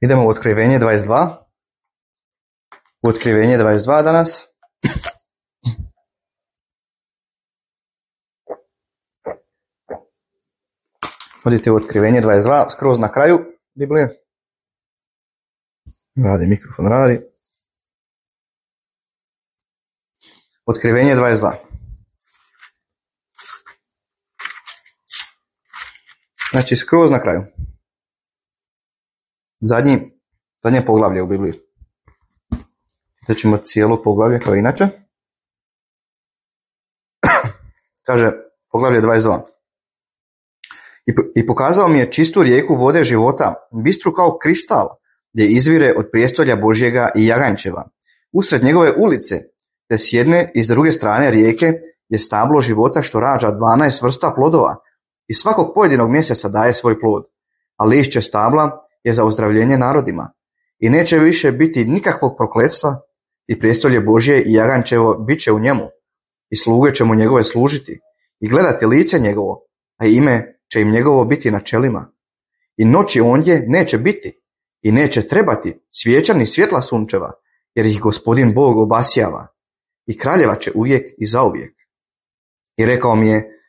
Idemo u Otkrivenje 22. U Otkrivenje 22 danas. Odite u Otkrivenje 22, skroz na kraju Biblije. Radi, mikrofon radi. Otkrivenje 22. Znači, skroz na kraju. Zadnje poglavlje u Bibliji. Znači ćemo cijelo poglavlje kao inače. Kaže, poglavlje 22. I pokazao mi je čistu rijeku vode života, bistru kao kristal, gdje izvire od prijestolja Božjega i jaganjčeva. Usred njegove ulice, te s jedne i s druge strane rijeke, je stablo života što rađa 12 vrsta plodova i svakog pojedinog mjeseca daje svoj plod. A lišće stabla je za ozdravljenje narodima. I neće više biti nikakvog prokletstva i prijestolje Božje i jaganjčevo bit će u njemu. I sluge će mu njegove služiti i gledati lice njegovo, a ime će im njegovo biti na čelima. I noći ondje neće biti i neće trebati svijeća ni svjetla sunčeva, jer ih Gospodin Bog obasjava i kraljeva će uvijek i zauvijek. I rekao mi je,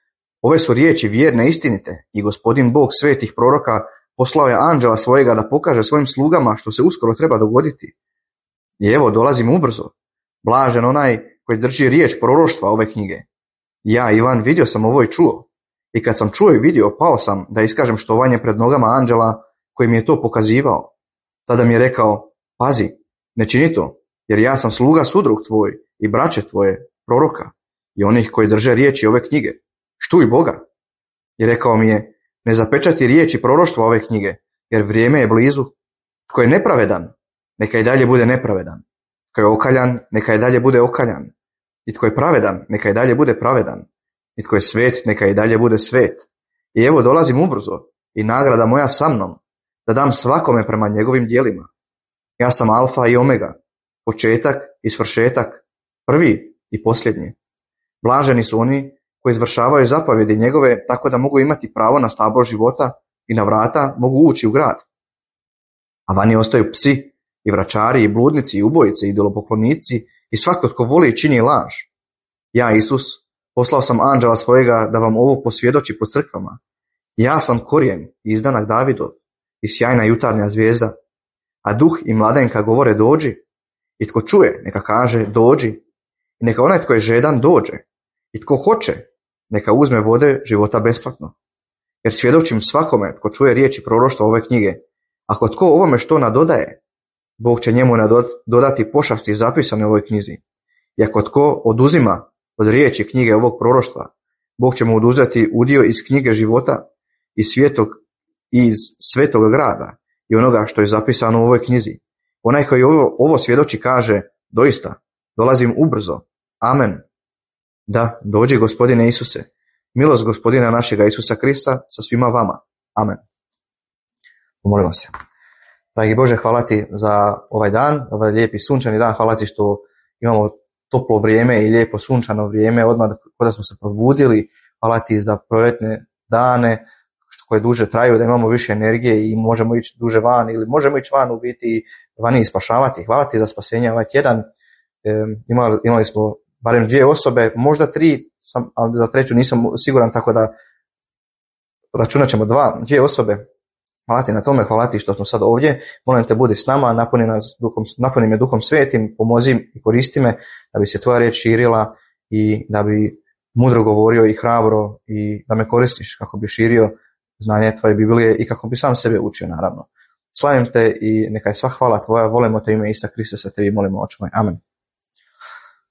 ove su riječi vjerne i istinite i Gospodin Bog svetih proroka poslao je anđela svojega da pokaže svojim slugama što se uskoro treba dogoditi. I evo, dolazim ubrzo. Blažen onaj koji drži riječ proroštva ove knjige. Ja, Ivan, vidio sam ovo i čuo. I kad sam čuo i vidio, pao sam da iskažem štovanje pred nogama anđela koji mi je to pokazivao. Tada mi je rekao, pazi, ne čini to, jer ja sam sluga sudrug tvoj i braće tvoje, proroka, i onih koji drže riječi ove knjige. Štuj Boga. I rekao mi je, ne zapečati riječi proroštva ove knjige, jer vrijeme je blizu. Tko je nepravedan, neka i dalje bude nepravedan. Tko je okaljan, neka i dalje bude okaljan. I tko je pravedan, neka i dalje bude pravedan. I tko je svet, neka i dalje bude svet. I evo dolazim ubrzo, i nagrada moja sa mnom, da dam svakome prema njegovim djelima. Ja sam alfa i omega, početak i svršetak, prvi i posljednji. Blaženi su oni koji izvršavaju zapovjedi njegove, tako da mogu imati pravo na stablo života i na vrata mogu ući u grad. A vani ostaju psi i vračari i bludnici i ubojice i idolopoklonici i svatko tko voli i čini laž. Ja, Isus, poslao sam anđela svojega da vam ovo posvjedoči po crkvama. Ja sam korijen i izdanak Davidov i sjajna jutarnja zvijezda. A duh i mladenka govore dođi. I tko čuje, neka kaže dođi. I neka onaj tko je žedan dođe. I tko hoće, neka uzme vode života besplatno. Jer svjedočim svakome tko čuje riječi proroštva ove knjige. Ako tko ovome što nadodaje, Bog će njemu dodati pošasti zapisane u ovoj knjizi. I ako tko oduzima od riječi knjige ovog proroštva, Bog će mu oduzeti udio iz knjige života iz svetog grada i onoga što je zapisano u ovoj knjizi. Onaj koji ovo svjedoči kaže, doista, dolazim ubrzo. Amen. Da, dođi Gospodine Isuse. Milost Gospodina našega Isusa Krista sa svima vama. Amen. Pomolimo se. Dragi Bože, hvala ti za ovaj dan, ovaj lijepi sunčani dan. Hvala ti što imamo toplo vrijeme i lijepo sunčano vrijeme, odmah kada smo se probudili. Hvala ti za proljetne dane koje duže traju, da imamo više energije i možemo ići duže van ili možemo ići van u biti vani i spašavati. Hvala ti za spasenje ovaj tjedan. Imali smo barem 2 osobe, možda 3, ali za 3 nisam siguran, tako da računat ćemo 2 osobe. Hvala ti na tome, hvala ti što smo sad ovdje. Molim te, budi s nama, napuni me Duhom Svetim, pomozi i koristi me da bi se tvoja riječ širila i da bi mudro govorio i hrabro i da me koristiš kako bi širio znanje tvoje Biblije i kako bi sam sebe učio, naravno. Slavim te i neka je sva hvala tvoja, volimo te ime Isusa Krista, sa tebi molimo, oče moj. Amen.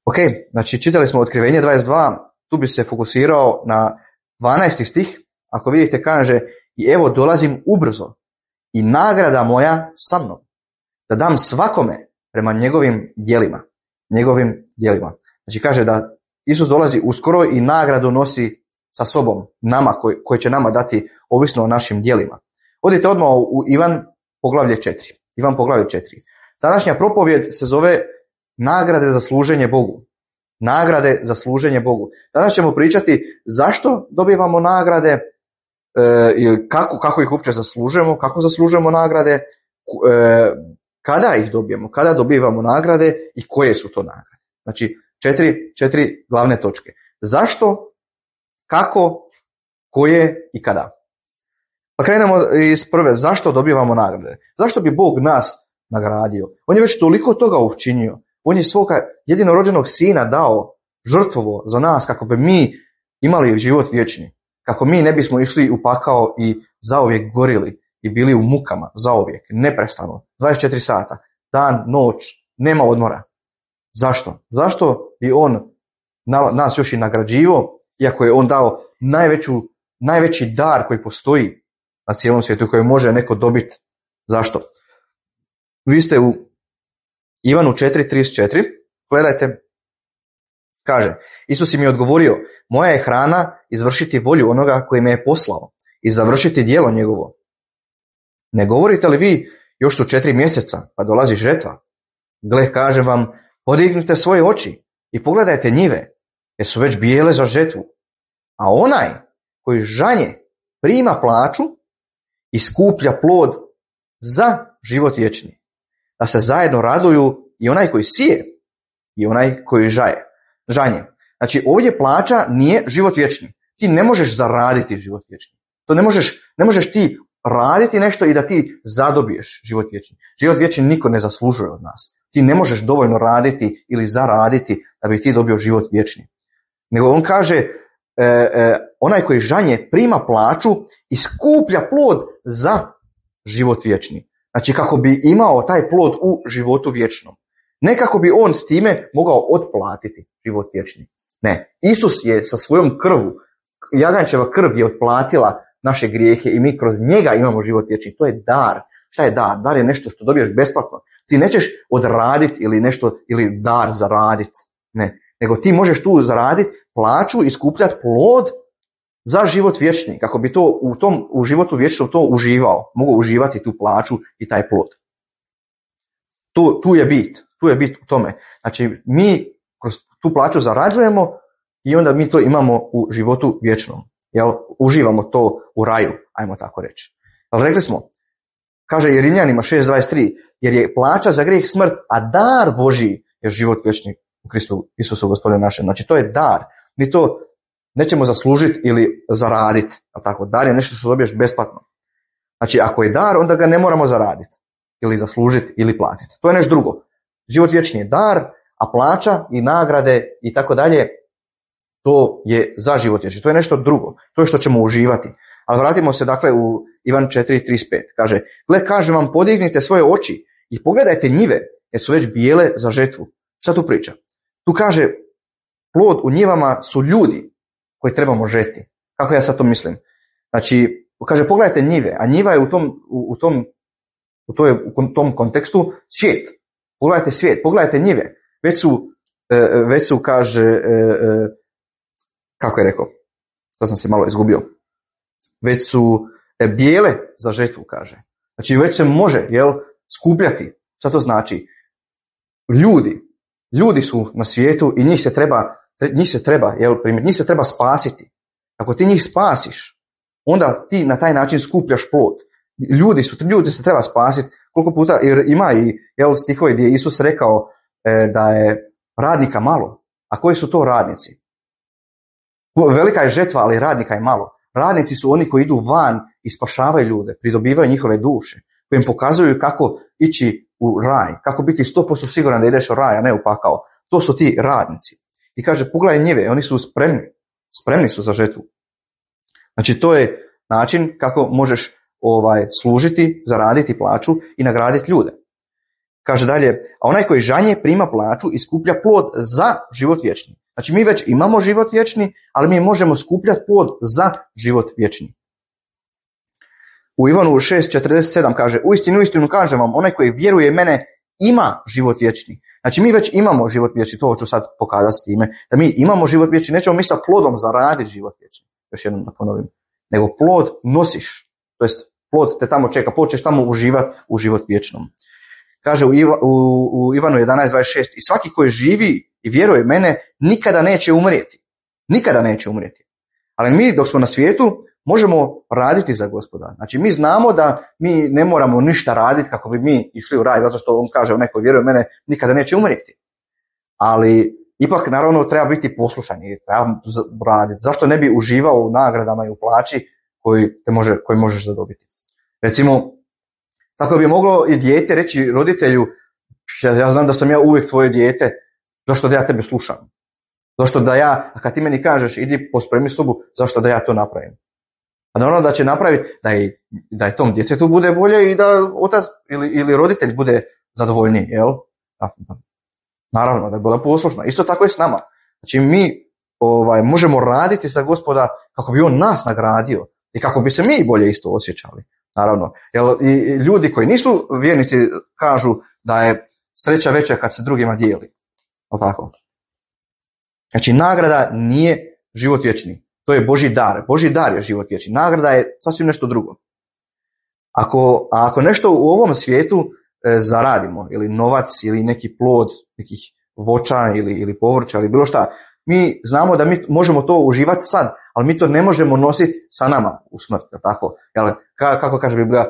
Ok, znači čitali smo Otkrivenje 22, tu bi se fokusirao na 12. stih. Ako vidite, kaže, i evo dolazim ubrzo i nagrada moja sa mnom, da dam svakome prema njegovim djelima. Znači kaže da Isus dolazi uskoro i nagradu nosi sa sobom, nama, koji će nama dati ovisno o našim djelima. Odite odmah u Ivan poglavlje 4. Ivan poglavlje 4. Današnja propovjed se zove nagrade za služenje Bogu. Nagrade za služenje Bogu. Danas ćemo pričati zašto dobivamo nagrade, ili kako ih uopće zaslužujemo, kako zaslužujemo nagrade kada ih dobijemo, kada dobivamo nagrade i koje su to nagrade. Znači, četiri glavne točke. Zašto, kako, koje i kada. Pa krenemo iz prve. Zašto dobivamo nagrade? Zašto bi Bog nas nagradio? On je već toliko toga učinio. On je svoga jedinorođenog sina dao, žrtvovo za nas kako bi mi imali život vječni. Kako mi ne bismo išli u pakao i zauvijek gorili i bili u mukama zauvijek, neprestano, 24 sata, dan, noć, nema odmora. Zašto? Zašto bi on nas još i nagrađivao, iako je on dao najveći dar koji postoji na cijelom svijetu, koji može neko dobiti? Zašto? Vi ste u Ivanu 4.34, gledajte, kaže, Isus im je odgovorio, moja je hrana izvršiti volju onoga koji me je poslao i završiti djelo njegovo. Ne govorite li vi, još su 4 mjeseca, pa dolazi žetva? Gle, kažem vam, podignite svoje oči i pogledajte njive, jer su već bijele za žetvu. A onaj koji žanje prima plaću i skuplja plod za život vječni. Da se zajedno raduju i onaj koji sije i onaj koji žanje. Znači, ovdje plaća nije život vječni. Ti ne možeš zaraditi život vječni. To ne možeš ti raditi nešto i da ti zadobiješ život vječni. Život vječni niko ne zaslužuje od nas. Ti ne možeš dovoljno raditi ili zaraditi da bi ti dobio život vječni. Nego on kaže, onaj koji žanje prima plaću i skuplja plod za život vječni. Znači, kako bi imao taj plod u životu vječnom. Ne kako bi on s time mogao otplatiti život vječni. Ne, Isus je sa svojom krvu, jaganjčeva krv je otplatila naše grijehe i mi kroz njega imamo život vječni. To je dar. Šta je dar? Dar je nešto što dobiješ besplatno. Ti nećeš odraditi ili dar zaraditi. Ne, nego ti možeš tu zaraditi plaću i skupljati plod za život vječni, kako bi to u životu vječnom to uživao, mogao uživati tu plaću i taj plod. Tu je bit u tome. Znači, mi kroz tu plaću zarađujemo i onda mi to imamo u životu vječnom. Jel? Uživamo to u raju, ajmo tako reći. Ali rekli smo, kaže Rimljanima 6.23, jer je plaća za grijeh smrt, a dar Božji je život vječni u Kristu Isusu Gospodinu našem. Znači, to je dar. Mi to nećemo zaslužiti ili zaraditi. Tako, dar je nešto što dobiješ besplatno. Znači, ako je dar, onda ga ne moramo zaraditi ili zaslužiti ili platiti. To je nešto drugo. Život vječni je dar, a plaća i nagrade i tako dalje, to je za život vječni. To je nešto drugo. To je što ćemo uživati. Ali vratimo se dakle u Ivan 4.35. Kaže, gle, kažem vam, podignite svoje oči i pogledajte njive, jer su već bijele za žetvu. Šta tu priča? Tu kaže, plod u njivama su ljudi koji trebamo žeti. Kako ja sad to mislim? Znači, kaže, pogledajte njive, a njiva je u tom kontekstu svijet. Pogledajte svijet, pogledajte njive. Već su kaže, kako je rekao? To sam se malo izgubio. Već su bijele za žetvu, kaže. Znači, već se može, skupljati. Šta to znači? Ljudi su na svijetu i njih se treba spasiti. Ako ti njih spasiš, onda ti na taj način skupljaš plod. Ljudi se treba spasiti. Koliko puta, jer ima i stihovi gdje je Isus rekao da je radnika malo. A koji su to radnici? Velika je žetva, ali radnika je malo. Radnici su oni koji idu van i spašavaju ljude, pridobivaju njihove duše, koji im pokazuju kako ići u raj, kako biti 100% siguran da ideš u raj, a ne u pakao. To su ti radnici. I kaže, pogledaj njive, oni su spremni su za žetvu. Znači, to je način kako možeš služiti, zaraditi plaću i nagraditi ljude. Kaže dalje, a onaj koji žanje prima plaću i skuplja plod za život vječni. Znači, mi već imamo život vječni, ali mi možemo skupljati plod za život vječni. U Ivanu 6.47 kaže, uistinu kažem vam, onaj koji vjeruje mene ima život vječni. Znači, mi već imamo život vječni, to ću sad pokazati s time, da mi imamo život vječni, nećemo mi sa plodom zaraditi život vječni. Još jednom da ponovim. Nego plod nosiš, to jest plod te tamo čeka, počneš tamo uživati u život vječnom. Kaže u Ivanu 11.26, i svaki koji živi i vjeruje mene nikada neće umrijeti. Nikada neće umrijeti. Ali mi dok smo na svijetu možemo raditi za Gospoda. Znači mi znamo da mi ne moramo ništa raditi kako bi mi išli u raj, zato što on kaže, neko vjeruje u mene, nikada neće umrijeti. Ali ipak naravno treba biti poslušan i treba raditi. Zašto ne bi uživao u nagradama i u plaći koji možeš zadobiti? Recimo, tako bi moglo i dijete reći roditelju, ja znam da sam ja uvijek tvoje dijete, zašto da ja tebe slušam? Zašto da ja, a kad ti meni kažeš idi pospremi sobu, zašto da ja to napravim? A naravno da će napraviti da je tom djetetu bude bolje i da otac ili roditelj bude zadovoljniji, jel? Naravno da je bila poslušna. Isto tako je s nama. Znači mi možemo raditi za Gospoda kako bi on nas nagradio i kako bi se mi bolje isto osjećali. Naravno. I ljudi koji nisu vjernici kažu da je sreća veća kad se drugima dijeli. Tako. Znači nagrada nije život vječni. To je Božji dar. Božji dar je život vječni. Nagrada je sasvim nešto drugo. Ako nešto u ovom svijetu zaradimo, ili novac, ili neki plod, nekih voća ili povrća, ili bilo šta, mi znamo da mi možemo to uživati sad, ali mi to ne možemo nositi sa nama u smrt. Tako? Kako kaže Biblija,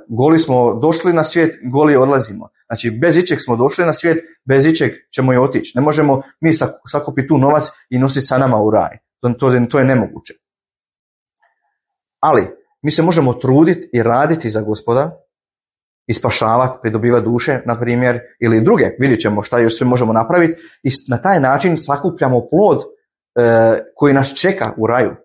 goli smo došli na svijet, goli odlazimo. Znači bez ičeg smo došli na svijet, bez ičeg ćemo i otići. Ne možemo mi sakupiti tu novac i nositi sa nama u raj. To je nemoguće. Ali mi se možemo truditi i raditi za Gospoda i spašavati, pridobivati duše, na primjer, ili druge. Vidjet ćemo šta još sve možemo napraviti i na taj način sakupljamo plod koji nas čeka u raju.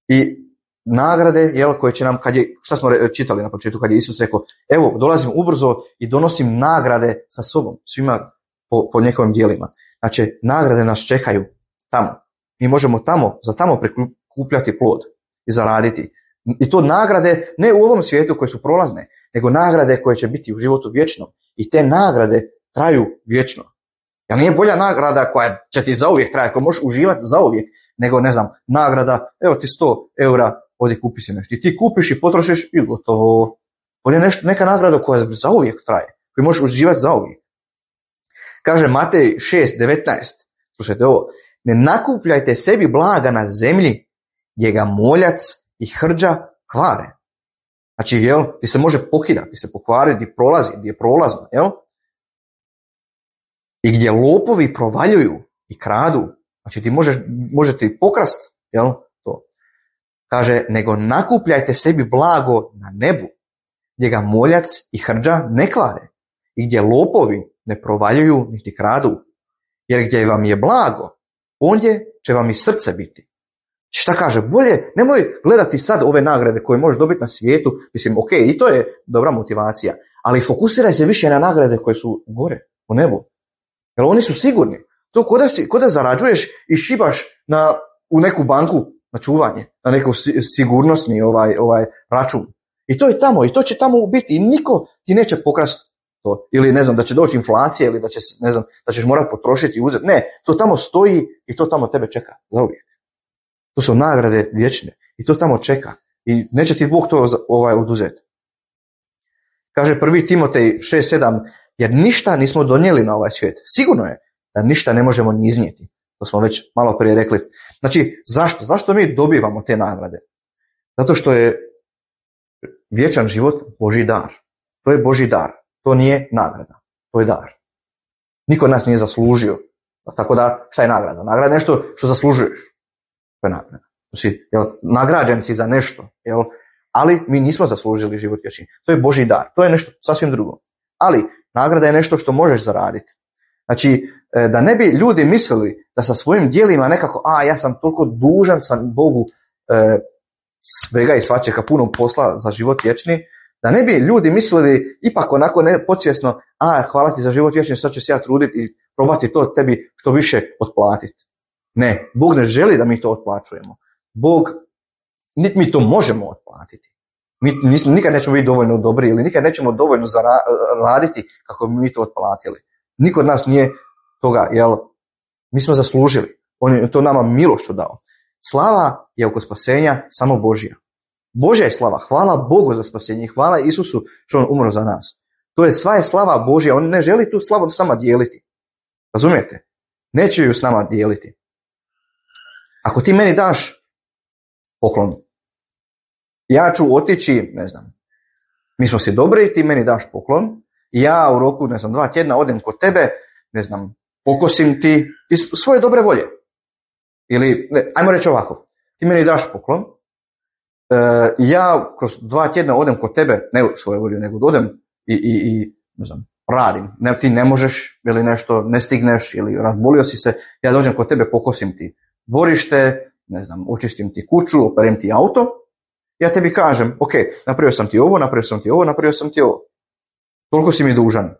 I nagrade, koje će nam, šta smo čitali na početku, kad je Isus rekao, evo, dolazim ubrzo i donosim nagrade sa sobom, svima po njegovim djelima. Znači, nagrade nas čekaju tamo. Mi možemo za tamo prikupljati plod i zaraditi. I to nagrade ne u ovom svijetu koje su prolazne, nego nagrade koje će biti u životu vječno. I te nagrade traju vječno. Jer nije bolja nagrada koja će ti zauvijek trajati, koja možeš uživati zauvijek, nego, ne znam, nagrada, evo ti 100 eura, ovdje kupi si nešto. I ti kupiš i potrošiš i gotovo. Ovo je neka nagrada koja zauvijek traje, koju možeš uživati zauvijek. Kaže Matej 6:19, slušajte ovo, ne nakupljajte sebi blaga na zemlji, gdje ga moljac i hrđa kvare. Znači, ti se može pokidati, ti se pokvariti, prolazi, gdje je prolazno, i gdje lopovi provaljuju i kradu. Znači, ti možete i pokrast, to. Kaže, nego nakupljajte sebi blago na nebu, gdje ga moljac i hrđa ne kvare, i gdje lopovi ne provaljuju niti kradu. Jer gdje vam je blago, ondje će vam i srce biti. Šta kaže? Bolje, nemoj gledati sad ove nagrade koje možeš dobiti na svijetu. Mislim, ok, i to je dobra motivacija, ali fokusiraj se više na nagrade koje su gore, u nebu. Jer oni su sigurni. To ko da zarađuješ i šibaš u neku banku na čuvanje, na neku sigurnosni račun. I to je tamo, i to će tamo biti, i niko ti neće pokrasti to. Ili ne znam, da će doći inflacija, ili da ćeš morati potrošiti i uzeti. Ne, to tamo stoji i to tamo tebe čeka zauvijek. To su nagrade vječne i to tamo čeka. I neće ti Bog to oduzeti. Kaže 1. Timotej 6:7, jer ništa nismo donijeli na ovaj svijet. Sigurno je da ništa ne možemo ni iznijeti. To smo već malo prije rekli. Znači, zašto? Zašto mi dobivamo te nagrade? Zato što je vječan život Božji dar. To je Božji dar. To nije nagrada. To je dar. Niko od nas nije zaslužio. Tako da, šta je nagrada? Nagrada je nešto što zaslužuješ. To je nagrada. Nagrađen si za nešto. Ali mi nismo zaslužili život vječni. To je Božji dar. To je nešto sasvim drugo. Ali nagrada je nešto što možeš zaraditi. Znači, da ne bi ljudi mislili da sa svojim djelima nekako, ja sam toliko dužan sam Bogu svega i svačega puno posla za život vječni, da ne bi ljudi mislili ipak onako podsvjesno, hvala ti za život vječni, sad ću se ja truditi i probati to tebi što više otplatiti. Ne, Bog ne želi da mi to otplaćujemo. Bog, niti mi to možemo otplatiti. Mi nikad nećemo biti dovoljno dobri ili nikad nećemo dovoljno raditi kako bi mi to otplatili. Niko od nas nije toga, mi smo zaslužili. On je to nama milošću dao. Slava je oko spasenja samo Božja. Božja je slava. Hvala Bogu za spasenje. Hvala Isusu što on umro za nas. To je sva je slava Božja. On ne želi tu slavu s nama dijeliti. Razumijete? Neće ju s nama dijeliti. Ako ti meni daš poklon. Ja ću otići, ne znam, mi smo si dobri, ti meni daš poklon, i ja u roku, ne znam, 2 tjedna odem kod tebe, ne znam, pokosim ti iz svoje dobre volje. Ili, ne, ajmo reći ovako, ti meni daš poklon, ja kroz 2 tjedna odem kod tebe, ne u svoje volje, nego odem i ne znam, radim. Ne, ti ne možeš ili nešto, ne stigneš ili razbolio si se, ja dođem kod tebe, pokosim ti dvorište, ne znam, očistim ti kuću, operem ti auto, ja tebi kažem, ok, napravio sam ti ovo, napravio sam ti ovo, napravio sam ti ovo. Toliko si mi dužan.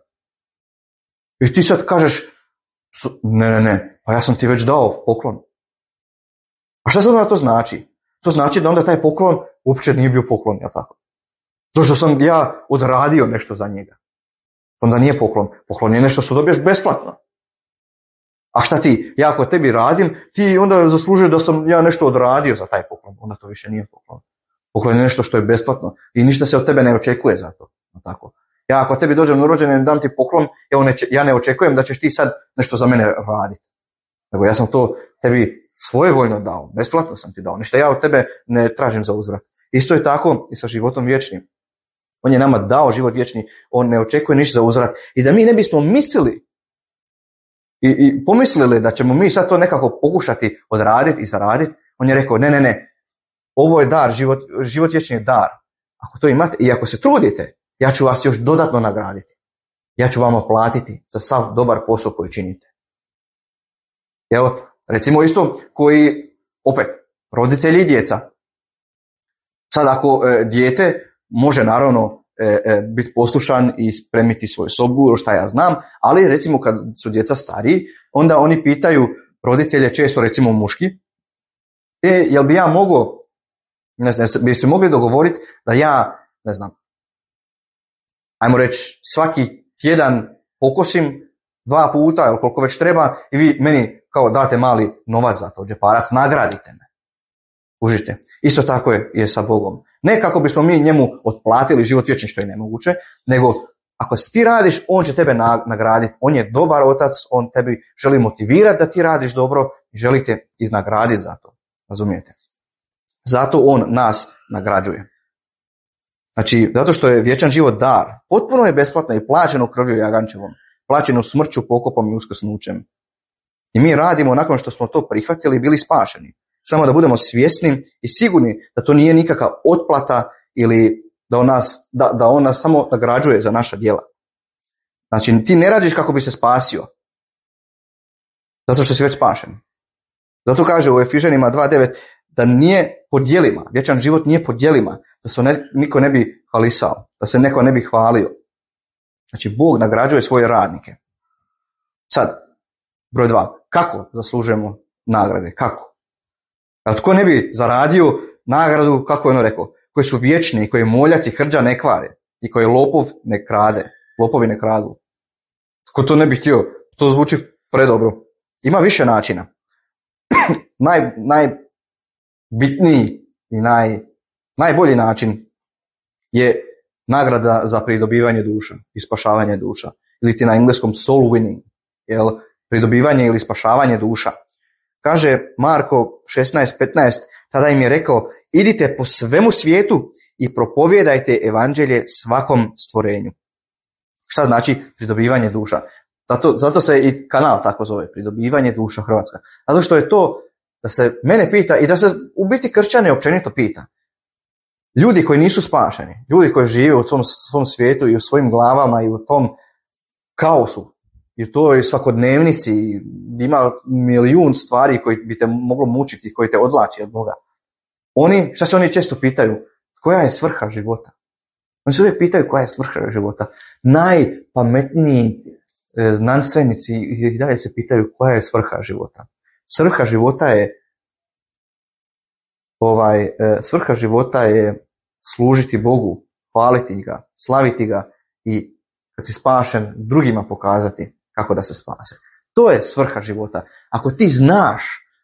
I ti sad kažeš, ne, pa ja sam ti već dao poklon. A šta sad onda to znači? To znači da onda taj poklon uopće nije bio poklon, jel tako? To što sam ja odradio nešto za njega. Onda nije poklon. Poklon je nešto što dobiješ besplatno. A šta ti? Ja ako tebi radim, ti onda zaslužuješ da sam ja nešto odradio za taj poklon. Onda to više nije poklon. Poklon je nešto što je besplatno i ništa se od tebe ne očekuje za to. Tako. Ja ako tebi dođem na rođendan i dam ti poklon, ja ne očekujem da ćeš ti sad nešto za mene raditi. Nego ja sam to tebi svojevoljno dao, besplatno sam ti dao. Ništa ja od tebe ne tražim za uzvrat. Isto je tako i sa životom vječnim. On je nama dao život vječni, on ne očekuje ništa za uzvrat. I da mi ne bismo mislili i pomislili da ćemo mi sad to nekako pokušati odraditi i zaraditi, on je rekao ne. Ovo je dar, život vječni je dar. Ako to imate i ako se trudite, ja ću vas još dodatno nagraditi. Ja ću vama platiti za sav dobar posao koji činite. Evo, recimo isto koji, opet, roditelji i djeca. Sad ako dijete može naravno biti poslušan i spremiti svoju sobu, šta ja znam, ali recimo kad su djeca stariji, onda oni pitaju roditelje, često recimo muški, jel bi ja mogao, ne znam, bi se mogli dogovoriti da ja, ne znam, ajmo reći, svaki tjedan pokosim 2 puta ili koliko već treba i vi meni kao date mali novac za to, džeparac, nagradite me. Užite. Isto tako je sa Bogom. Ne kako bismo mi njemu otplatili život vječni, što je nemoguće, nego ako ti radiš, on će tebe nagraditi. On je dobar otac, on tebi želi motivirati da ti radiš dobro i želi te iznagraditi za to. Razumijete? Zato on nas nagrađuje. Znači, zato što je vječan život dar, potpuno je besplatno i plaćeno krvlju jagančevom, plaćeno smrću, pokopom i uskrsnućem. I mi radimo nakon što smo to prihvatili i bili spašeni. Samo da budemo svjesni i sigurni da to nije nikakva otplata ili da on nas samo nagrađuje za naša djela. Znači, ti ne radiš kako bi se spasio, zato što si već spašen. Zato kaže u Efežanima 2.9 da nije po djelima, vječan život nije po djelima, da se niko ne bi hvalisao, da se neko ne bi hvalio. Znači, Bog nagrađuje svoje radnike. Sad, broj 2. Kako zaslužujemo nagrade? Kako? A tko ne bi zaradio nagradu, kako je ono rekao, koji su vječni, koji moljac i hrđa ne kvare i koji lopov ne krade, lopovi ne kradu. Tko to ne bi htio? To zvuči predobro. Ima više načina. Najbitniji i najbolji način je nagrada za pridobivanje duša i spašavanje duša. Ili ti na engleskom soul winning. Jel? Pridobivanje ili spašavanje duša. Kaže Marko 16.15, tada im je rekao, idite po svemu svijetu i propovijedajte evanđelje svakom stvorenju. Šta znači pridobivanje duša? Zato se i kanal tako zove, pridobivanje duša Hrvatska. Zato što je to da se mene pita i da se u biti kršćane općenito pita. Ljudi koji nisu spašeni, ljudi koji žive u svom svijetu i u svojim glavama i u tom kaosu, i u toj svakodnevnici ima milijun stvari koji bi te moglo mučiti, koji te odvlači od Boga. Šta se oni često pitaju? Koja je svrha života? Oni se uvijek pitaju koja je svrha života. Najpametniji znanstvenici i dalje se pitaju koja je svrha života. Svrha života je služiti Bogu, hvaliti ga, slaviti ga i kad si spašen drugima pokazati kako da se spase. To je svrha života. Ako ti znaš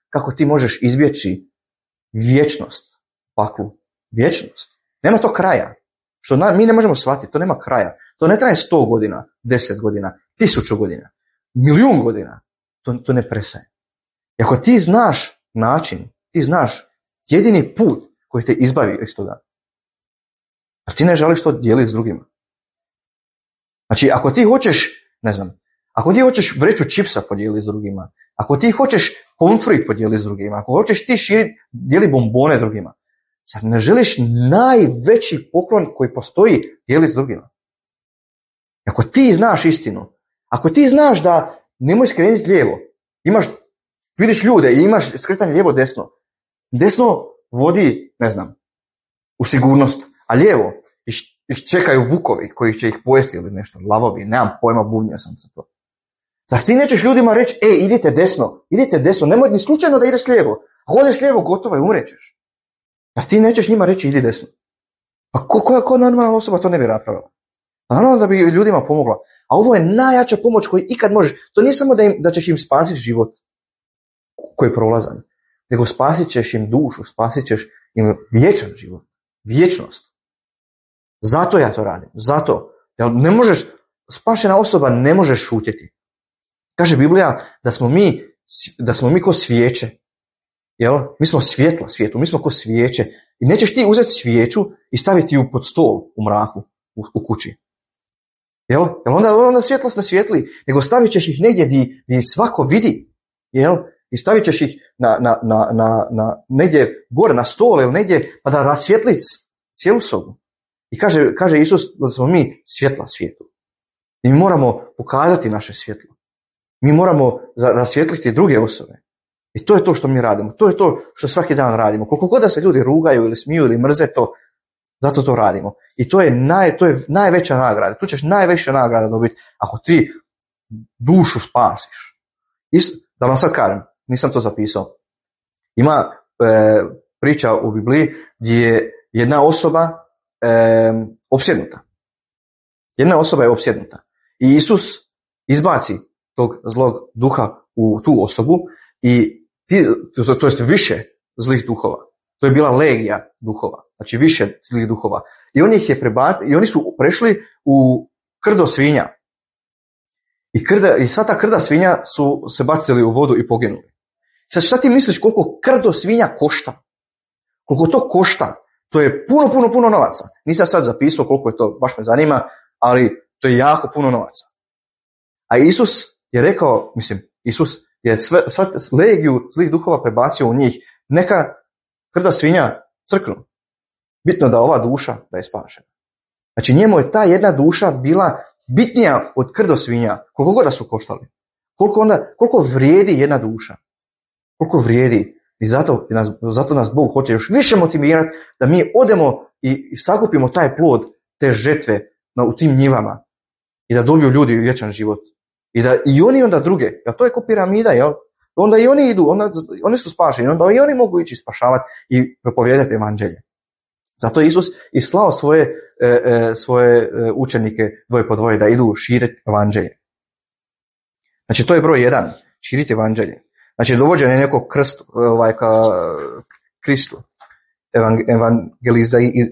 kako ti možeš izbjeći vječnost, paklu, vječnost, nema to kraja. Što mi ne možemo shvatiti, to nema kraja. To ne traje 100 godina, 10 godina, 1000 godina, 1.000.000 godina. To ne prestaje. I ako ti znaš način, ti znaš jedini put koji te izbavi iz toga. A ti ne želiš to dijeliti s drugima. Znači, ako ti hoćeš, ako ti hoćeš vreću čipsa podijeliti s drugima, ako ti hoćeš pomfrit podijeliti s drugima, ako hoćeš ti dijeliti bombone drugima, zar ne želiš najveći poklon koji postoji dijeliti s drugima? Ako ti znaš istinu, ako ti znaš da nemoj skrenuti lijevo, vidiš ljude i imaš skretanje lijevo desno. Desno vodi, u sigurnost, a lijevo ih čekaju vukovi koji će ih pojesti ili nešto, lavovi, nemam pojma, bubnio sam za to. Zar ti nećeš ljudima reći, idite desno, nemoj ni slučajno da ideš lijevo. Ako odeš lijevo, gotovo je, umrećeš. Zar ti nećeš njima reći, idi desno? Pa ko normalna osoba to ne bi napravila? Naravno da bi ljudima pomogla. A ovo je najjača pomoć koju ikad možeš. To nije samo da ćeš im spasiti život koji je prolazan, nego spasit ćeš im dušu, spasit ćeš im vječan život, vječnost. Zato ja to radim, zato. Jer ne možeš, spašena osoba ne može šutjeti. Kaže Biblija da smo mi ko svijeće. Jel? Mi smo svjetla svijetu, mi smo ko svijeće. I nećeš ti uzeti svijeću i staviti ju pod stol u mraku, u kući. Jel? Onda svjetlost ne svijetli, nego stavit ćeš ih negdje gdje svako vidi. Jel? I stavit ćeš ih na negdje gore na stol ili negdje pa da rasvjetli cijelu sobu. I kaže Isus da smo mi svjetla svijetu. I mi moramo pokazati naše svjetlo. Mi moramo rasvjetliti druge osobe. I to je to što mi radimo. To je to što svaki dan radimo. Koliko god da se ljudi rugaju ili smiju ili mrze to, zato to radimo. I to je najveća nagrada. Tu ćeš najveća nagrada dobiti ako ti dušu spasiš. Da vam sad kažem, nisam to zapisao. Ima priča u Bibliji gdje je jedna osoba opsjednuta. Jedna osoba je opsjednuta. I Isus izbaci tog zlog duha u tu osobu i to jest više zlih duhova. To je bila legija duhova. Znači više zlih duhova. I oni su prešli u krdo svinja. I sva ta krda svinja su se bacili u vodu i poginuli. Sad šta ti misliš koliko krdo svinja košta? Koliko to košta? To je puno novaca. Nisam sad zapisao koliko je to, baš me zanima, ali to je jako puno novaca. A Isus je rekao, Isus je sva legiju zlih duhova prebacio u njih. Neka krda svinja crknu. Bitno da ova duša da je spašena. Znači njemu je ta jedna duša bila bitnija od krdo svinja, koliko god da su koštali. Koliko vrijedi jedna duša. Koliko vrijedi. I zato nas Bog hoće još više motivirati da mi odemo i sakupimo taj plod, te žetve u tim njivama. I da dobiju ljudi vječan život. I oni onda druge, jer to je ko piramida, jel? Onda i oni idu, oni su spašeni, onda i oni mogu ići spašavati i propovijedati evanđelje. Zato je Isus i slao svoje učenike dvoje po dvoje da idu širiti evanđelje. Znači to je broj 1, širiti evanđelje. Znači dovođenje nekog ka Kristu,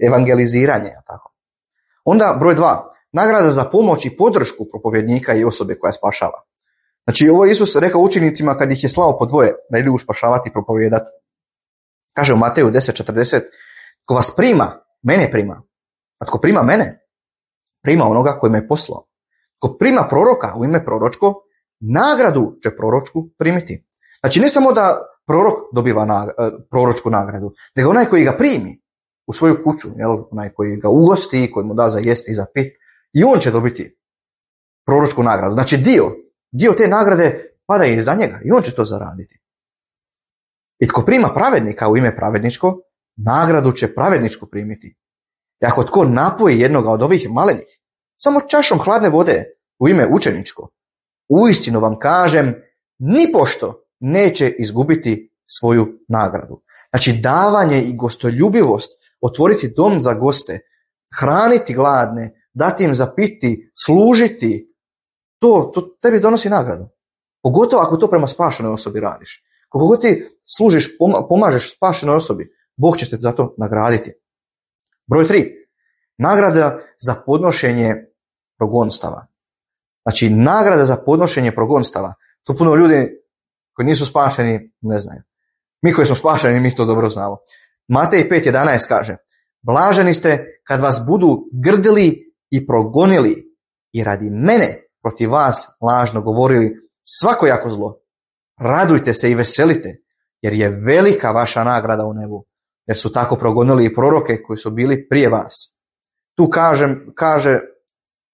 evangeliziranje. Tako. Onda broj 2, nagrada za pomoć i podršku propovjednika i osobe koja spašava. Znači ovo je Isus rekao učenicima kad ih je slao po dvoje da idu spašavati i propovijedati. Kaže u Mateju 10:40, ko vas prima, mene prima. A tko prima mene, prima onoga koji me je poslao. Tko prima proroka u ime proročko, nagradu će proročku primiti. Znači ne samo da prorok dobiva proročku nagradu, nego onaj koji ga primi u svoju kuću, onaj koji ga ugosti, koji mu da za jesti i za pit, i on će dobiti proročku nagradu. Znači dio te nagrade pada iz njega i on će to zaraditi. I tko prima pravednika u ime pravedničko, nagradu će pravedničku primiti. I ako tko napoji jednoga od ovih malenih, samo čašom hladne vode u ime učeničko, uistinu vam kažem, nipošto neće izgubiti svoju nagradu. Znači davanje i gostoljubivost, otvoriti dom za goste, hraniti gladne, dati im za piti, služiti, to tebi donosi nagradu. Pogotovo ako to prema spašenoj osobi radiš. Koliko god ti služiš, pomažeš spašenoj osobi, Bog će te za to nagraditi. Broj 3. Nagrada za podnošenje progonstava. Znači, nagrada za podnošenje progonstava. To puno ljudi koji nisu spašeni ne znaju. Mi koji smo spašeni, mi to dobro znamo. Matej 5.11 kaže: blaženi ste kad vas budu grdili i progonili i radi mene protiv vas lažno govorili svakojako zlo. Radujte se i veselite, jer je velika vaša nagrada u nebu, jer su tako progonili i proroke koji su bili prije vas. Tu kaže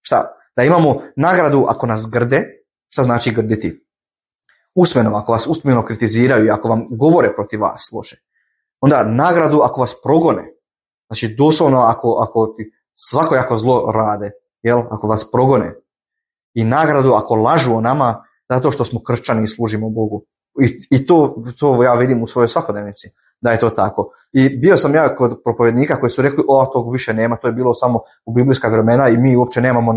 šta? Da imamo nagradu ako nas grde. Šta znači grditi? Usmeno, ako vas usmeno kritiziraju i ako vam govore protiv vas loše. Onda nagradu ako vas progone. Znači doslovno ako ti svakojako zlo rade, jel? Ako vas progone. I nagradu ako lažu o nama zato što smo kršćani i služimo Bogu. I to ja vidim u svojoj svakodnevnici, da je to tako. I bio sam ja kod propovjednika koji su rekli, tog više nema, to je bilo samo u biblijska vremena i mi uopće nemamo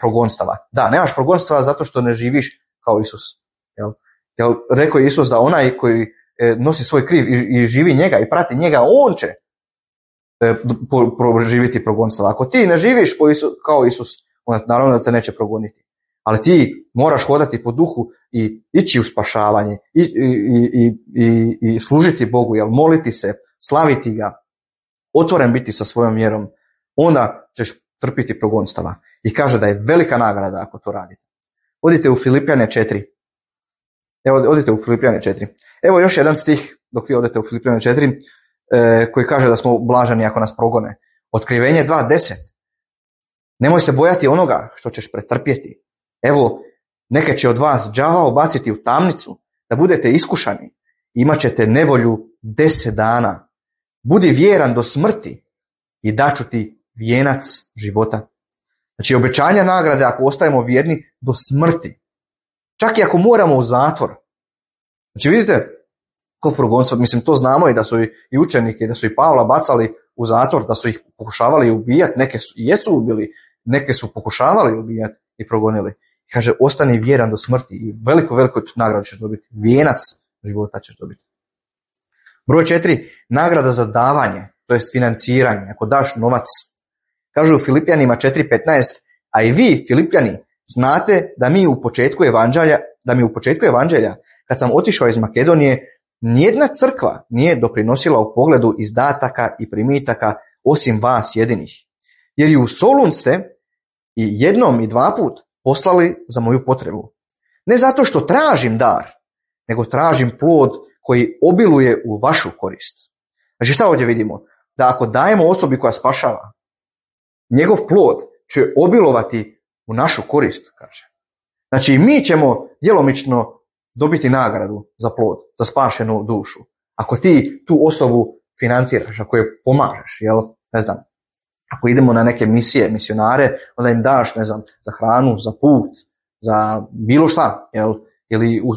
progonstava. Da, nemaš progonstava zato što ne živiš kao Isus. Jel, rekao je Isus da onaj koji nosi svoj kriv i živi njega i prati njega, on će proživiti progonstava. Ako ti ne živiš kao Isus, onda naravno da te neće progoniti. Ali ti moraš hodati po duhu i ići u spašavanje i služiti Bogu, jel, moliti se, slaviti ga, otvoren biti sa svojom vjerom, onda ćeš trpiti progonstava. I kaže da je velika nagrada ako to radite. Odite u Filipjane 4. Odite u Filipjane 4. Evo još jedan stih dok vi odete u Filipjane 4 koji kaže da smo blaženi ako nas progone. Otkrivenje 2.10. Nemoj se bojati onoga što ćeš pretrpjeti. Evo, neke će od vas đavao baciti u tamnicu, da budete iskušani. Imat ćete nevolju 10 dana. Budi vjeran do smrti i daću ti vijenac života. Znači, obećanja nagrade ako ostajemo vjerni do smrti. Čak i ako moramo u zatvor. Znači, vidite, ko progonstvo, mislim, to znamo i da su i učenike, da su i Pavla bacali u zatvor, da su ih pokušavali ubijati, neke jesu ubili, neke su pokušavali ubijati i progonili. Kaže, ostani vjeran do smrti i veliku nagradu ćeš dobiti. Vijenac života ćeš dobiti. Broj 4. Nagrada za davanje, to jest financiranje, ako daš novac. Kaže u Filipljanima 4.15, a i vi, Filipljani, znate da mi u početku evanđelja, kad sam otišao iz Makedonije, nijedna crkva nije doprinosila u pogledu izdataka i primitaka osim vas jedinih. Jer i u Solun ste i jednom i 2 put poslali za moju potrebu. Ne zato što tražim dar, nego tražim plod koji obiluje u vašu korist. Znači šta ovdje vidimo? Da ako dajemo osobi koja spašava, njegov plod će obilovati u našu korist, kaže. Znači mi ćemo djelomično dobiti nagradu za plod, za spašenu dušu. Ako ti tu osobu financiraš, ako je pomažeš, jel, ne znam, ako idemo na neke misije, misionare, onda im daš, ne znam, za hranu, za put, za bilo šta, jel, ili u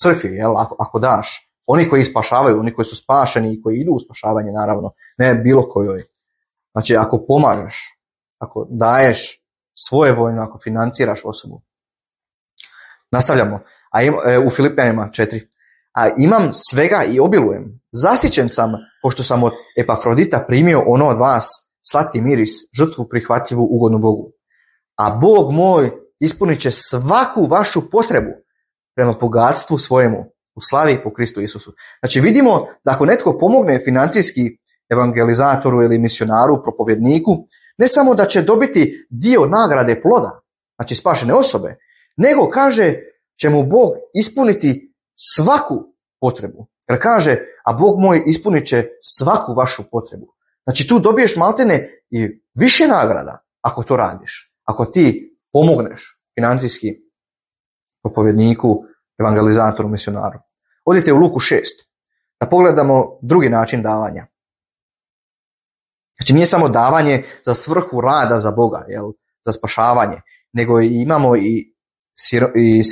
crkvi, jel, ako daš. Oni koji spašavaju, oni koji su spašeni i koji idu u spašavanje, naravno, ne bilo kojoj. Znači, ako pomažeš, ako daješ svojevoljno, ako financiraš osobu. Nastavljamo. U Filipljanima 4. A imam svega i obilujem. Zasićen sam, pošto sam od Epafrodita primio ono od vas, slatki miris, žrtvu prihvatljivu ugodnu Bogu. A Bog moj ispunit će svaku vašu potrebu prema bogatstvu svojemu u slavi po Kristu Isusu. Znači vidimo da ako netko pomogne financijski evangelizatoru ili misionaru, propovjedniku, ne samo da će dobiti dio nagrade ploda, znači spašene osobe, nego kaže će mu Bog ispuniti svaku potrebu. Jer kaže, a Bog moj ispunit će svaku vašu potrebu. Znači tu dobiješ maltene i više nagrada ako to radiš. Ako ti pomogneš financijski propovjedniku, evangelizatoru, misionaru. Odite u Luku 6. Da pogledamo drugi način davanja. Znači nije samo davanje za svrhu rada za Boga, jel, za spašavanje, nego imamo i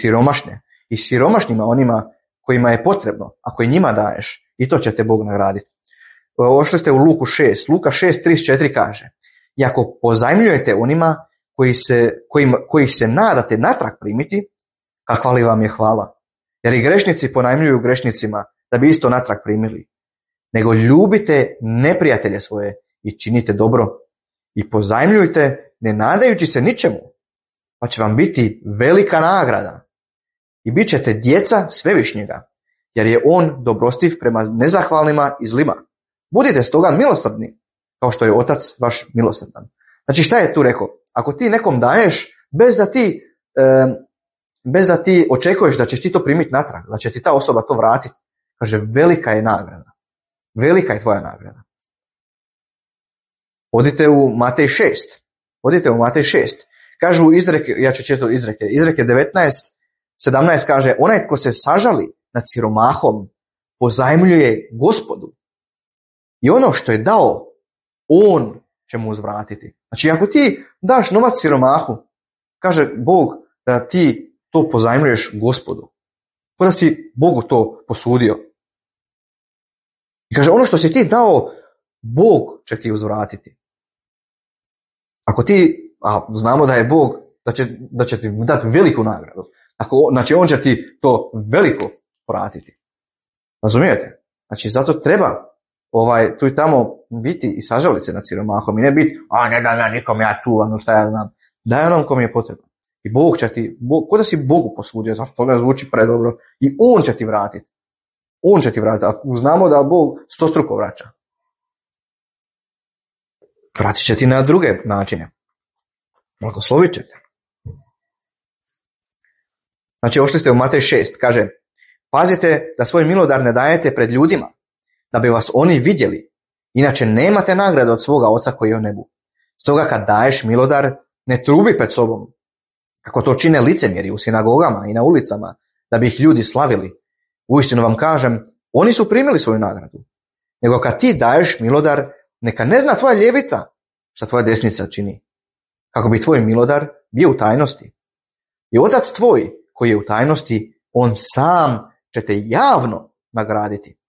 siromašne. I siromašnima, onima kojima je potrebno, ako i njima daješ, i to će te Bog nagraditi. Ošli ste u Luku 6. Luka 6.34 kaže: i ako pozajmljujete onima koji se nadate natrag primiti, kakva li vam je hvala. Jer i grešnici ponajmljuju grešnicima da bi isto natrag primili. Nego ljubite neprijatelje svoje i činite dobro. I pozajmljujte ne nadajući se ničemu, pa će vam biti velika nagrada. I bit ćete djeca Svevišnjega. jer je on dobrostiv prema nezahvalnima i zlima. Budite stoga milosrdni, kao što je Otac vaš milosrdan. Znači šta je tu rekao? Ako ti nekom daješ bez da ti očekuješ da ćeš ti to primiti natrag, da će ti ta osoba to vratiti, kaže, velika je nagrada. Velika je tvoja nagrada. Odite u Matej 6. Odite u Matej 6. Kažu izreke, ja ću čitati izreke. Izreke 19:17 kaže, onaj tko se sažali nad siromahom pozajmljuje Gospodu. I ono što je dao, on će mu uzvratiti. Znači, ako ti daš novac siromahu, kaže Bog da ti to pozajmljuješ Gospodu. Kao da si Bogu to posudio. I kaže, ono što si ti dao, Bog će ti uzvratiti. Ako ti, a znamo da je Bog, da će ti dati veliku nagradu. Znači, on će ti to veliko vratiti. Razumijete? Znači, zato treba tu i tamo biti i sažaliti se nad siromahom i ne biti, ne dam ja nikom, ja čuvam, šta ja znam. Daj onom kom je potrebno. I Bog će ti, ko da si Bogu posudio, zato to ne zvuči predobro, i on će ti vratiti. On će ti vratiti. Ako znamo da Bog stostruko vraća. Vratit će ti na druge načine. Blagoslovit će te. Znači, ošli ste u Matej 6, kaže, pazite da svoj milodar ne dajete pred ljudima, da bi vas oni vidjeli, inače nemate nagrade od svoga Oca koji je u nebu. Stoga kad daješ milodar, ne trubi pred sobom, kako to čine licemjeri u sinagogama i na ulicama, da bi ih ljudi slavili. Uistinu vam kažem, oni su primili svoju nagradu. Nego kad ti daješ milodar, neka ne zna tvoja ljevica šta tvoja desnica čini, kako bi tvoj milodar bio u tajnosti. I Otac tvoj koji je u tajnosti, on sam će te javno nagraditi.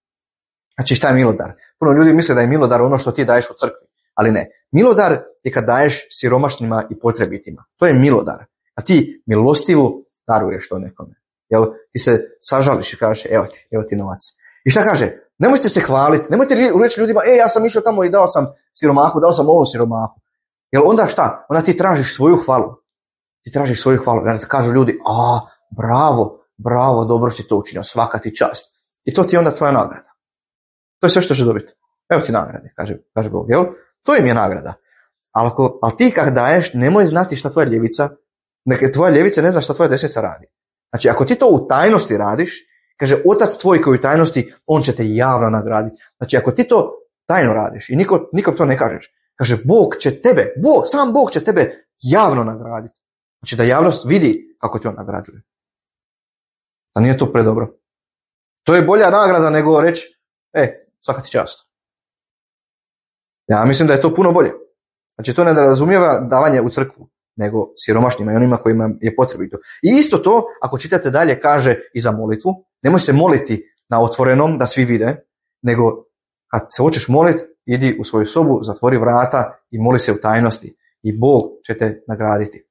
Znači, šta je milodar? Puno ljudi misle da je milodar ono što ti daješ u crkvi, ali ne. Milodar je kad daješ siromašnima i potrebitima. To je milodar. A ti milostivu daruješ to nekome. Jel, ti se sažališ i kažeš, evo ti novac. I šta kaže? Nemojte se hvaliti, nemojte reći ljudima, ja sam išao tamo i dao sam siromahu, dao sam ovom siromahu. Jel onda šta? Onda ti tražiš svoju hvalu. Ti tražiš svoju hvalu. Jer kažu ljudi, bravo, dobro si to učinio, svaka ti čast. I to ti je onda tvoja nagrada. To je sve što ćeš dobiti. Evo ti nagrade, kaže Bog, jel? To im je nagrada. Ali ti kad daješ, nemoj znati šta tvoja ljevica, neka tvoja ljevica ne zna šta tvoja desnica radi. Znači, ako ti to u tajnosti radiš, kaže, Otac tvoj koji je u tajnosti, on će te javno nagraditi. Znači, ako ti to tajno radiš i nikom to ne kažeš, kaže, sam Bog će tebe javno nagraditi. Znači, da javnost vidi kako ti on nagrađuje. A nije to predobro. To je bolja nagrada nego reći, svaka ti čast. Ja mislim da je to puno bolje. Znači, to ne razumijeva davanje u crkvu, nego siromašnjima i onima kojima je potrebito. I isto to, ako čitate dalje, kaže i za molitvu, nemoj se moliti na otvorenom da svi vide, nego kad se hoćeš moliti, idi u svoju sobu, zatvori vrata i moli se u tajnosti i Bog će te nagraditi.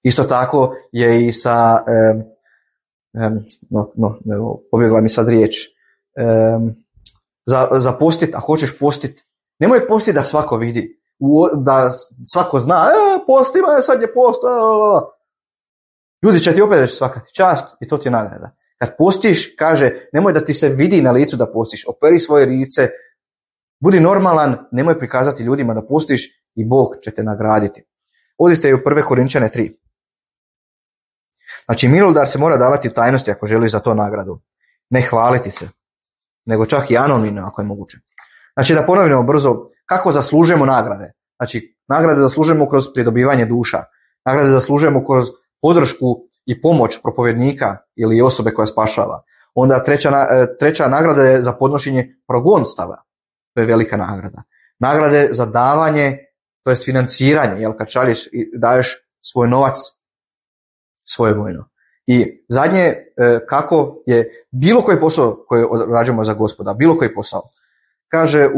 Isto tako je i sa pobjegla mi sad riječ, za postit, ako hoćeš postit, nemoj postiti da svako vidi, da svako zna, postima, sad je post, ljudi će ti opet reći svaka ti čast i to ti je nagrada. Kad postiš, kaže, nemoj da ti se vidi na licu da postiš, operi svoje lice, budi normalan, nemoj prikazati ljudima da postiš i Bog će te nagraditi. Odite u 1. Korinčane 3. Znači, milodar se mora davati u tajnosti ako želiš za to nagradu. Ne hvaliti se, nego čak i anonimno ako je moguće. Znači, da ponovimo brzo, kako zaslužujemo nagrade. Znači, nagrade zaslužujemo kroz pridobivanje duša. Nagrade zaslužujemo kroz podršku i pomoć propovjednika ili osobe koja spašava. Onda treća nagrada je za podnošenje progonstava. To je velika nagrada. Nagrade za davanje, to je financiranje, jel, kad šalješ i daješ svoj novac, svoje vojno. I zadnje, kako je bilo koji posao koji rađamo za Gospoda, bilo koji posao. Kaže,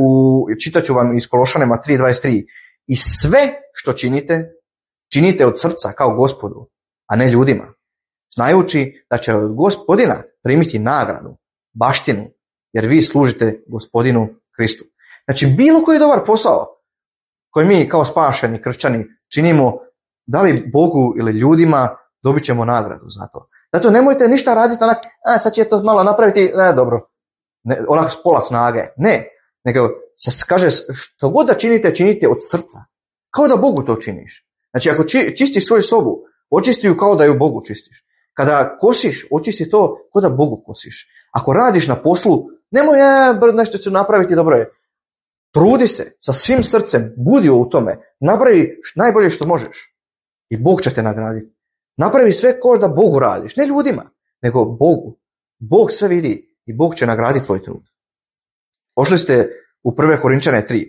čitat ću vam iz Kološanima 3:23, i sve što činite od srca kao Gospodu, a ne ljudima, znajući da će od Gospodina primiti nagradu, baštinu, jer vi služite Gospodinu Kristu. Znači, bilo koji dobar posao koji mi kao spašeni kršćani činimo, da li Bogu ili ljudima, dobit ćemo nagradu za to. Zato nemojte ništa raditi onak, sad će to malo napraviti, dobro, onak s pola snage. Ne, nego kaže, što god da činite, činite od srca. Kao da Bogu to činiš. Znači, ako čistiš svoju sobu, očisti ju kao da ju Bogu čistiš. Kada kosiš, očisti to kao da Bogu kosiš. Ako radiš na poslu, nemoj nešto ću napraviti, dobro je. Trudi se sa svim srcem, budi u tome, napravi najbolje što možeš i Bog će te nagraditi. Napravi sve kao da Bogu radiš, ne ljudima, nego Bogu. Bog sve vidi i Bog će nagraditi tvoj trud. Pošli ste u 1. Korinčane 3.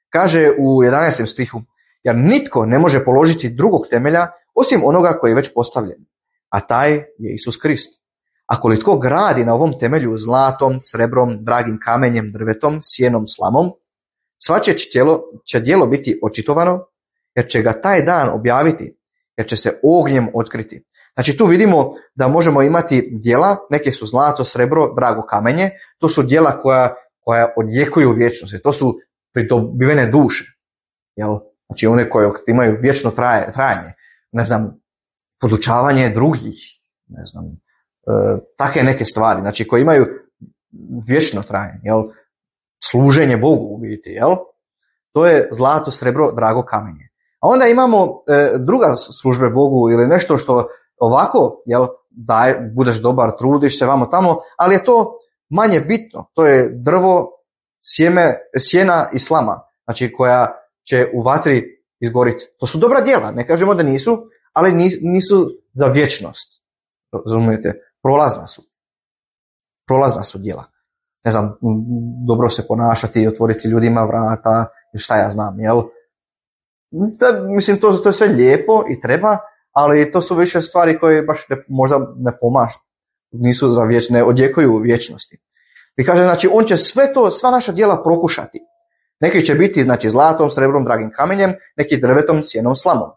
Kaže u 11. stihu, jer nitko ne može položiti drugog temelja osim onoga koji je već postavljen, a taj je Isus Krist. Ako li tko gradi na ovom temelju zlatom, srebrom, dragim kamenjem, drvetom, sjenom, slamom, svačije će djelo biti očitovano, jer će ga taj dan objaviti, jer će se ognjem otkriti. Znači tu vidimo da možemo imati djela, neke su zlato, srebro, drago kamenje, to su djela koja odjekuju vječnosti, to su pridobivene duše. Jel? Znači one koje imaju vječno trajanje, ne znam, podučavanje drugih, ne znam, takve neke stvari, znači koje imaju vječno trajanje, jel? Služenje Bogu u biti, jel? To je zlato, srebro, drago kamenje. A onda imamo druga službe Bogu ili nešto što ovako, jel, budeš dobar, trudiš se vamo tamo, ali je to manje bitno. To je drvo, sjena i slama, znači koja će u vatri izgoriti. To su dobra djela, ne kažemo da nisu, ali nisu za vječnost. Razumijete? Prolazna su djela. Ne znam, dobro se ponašati i otvoriti ljudima vrata, šta ja znam, jel? Mislim, to je sve lijepo i treba, ali to su više stvari koje baš možda ne pomažu. Nisu za ne odjekuju u vječnosti. I kaže, znači, on će sva naša djela prokušati. Neki će biti, znači, zlatom, srebrom, dragim kamenjem, neki drvetom, sjenom, slamom.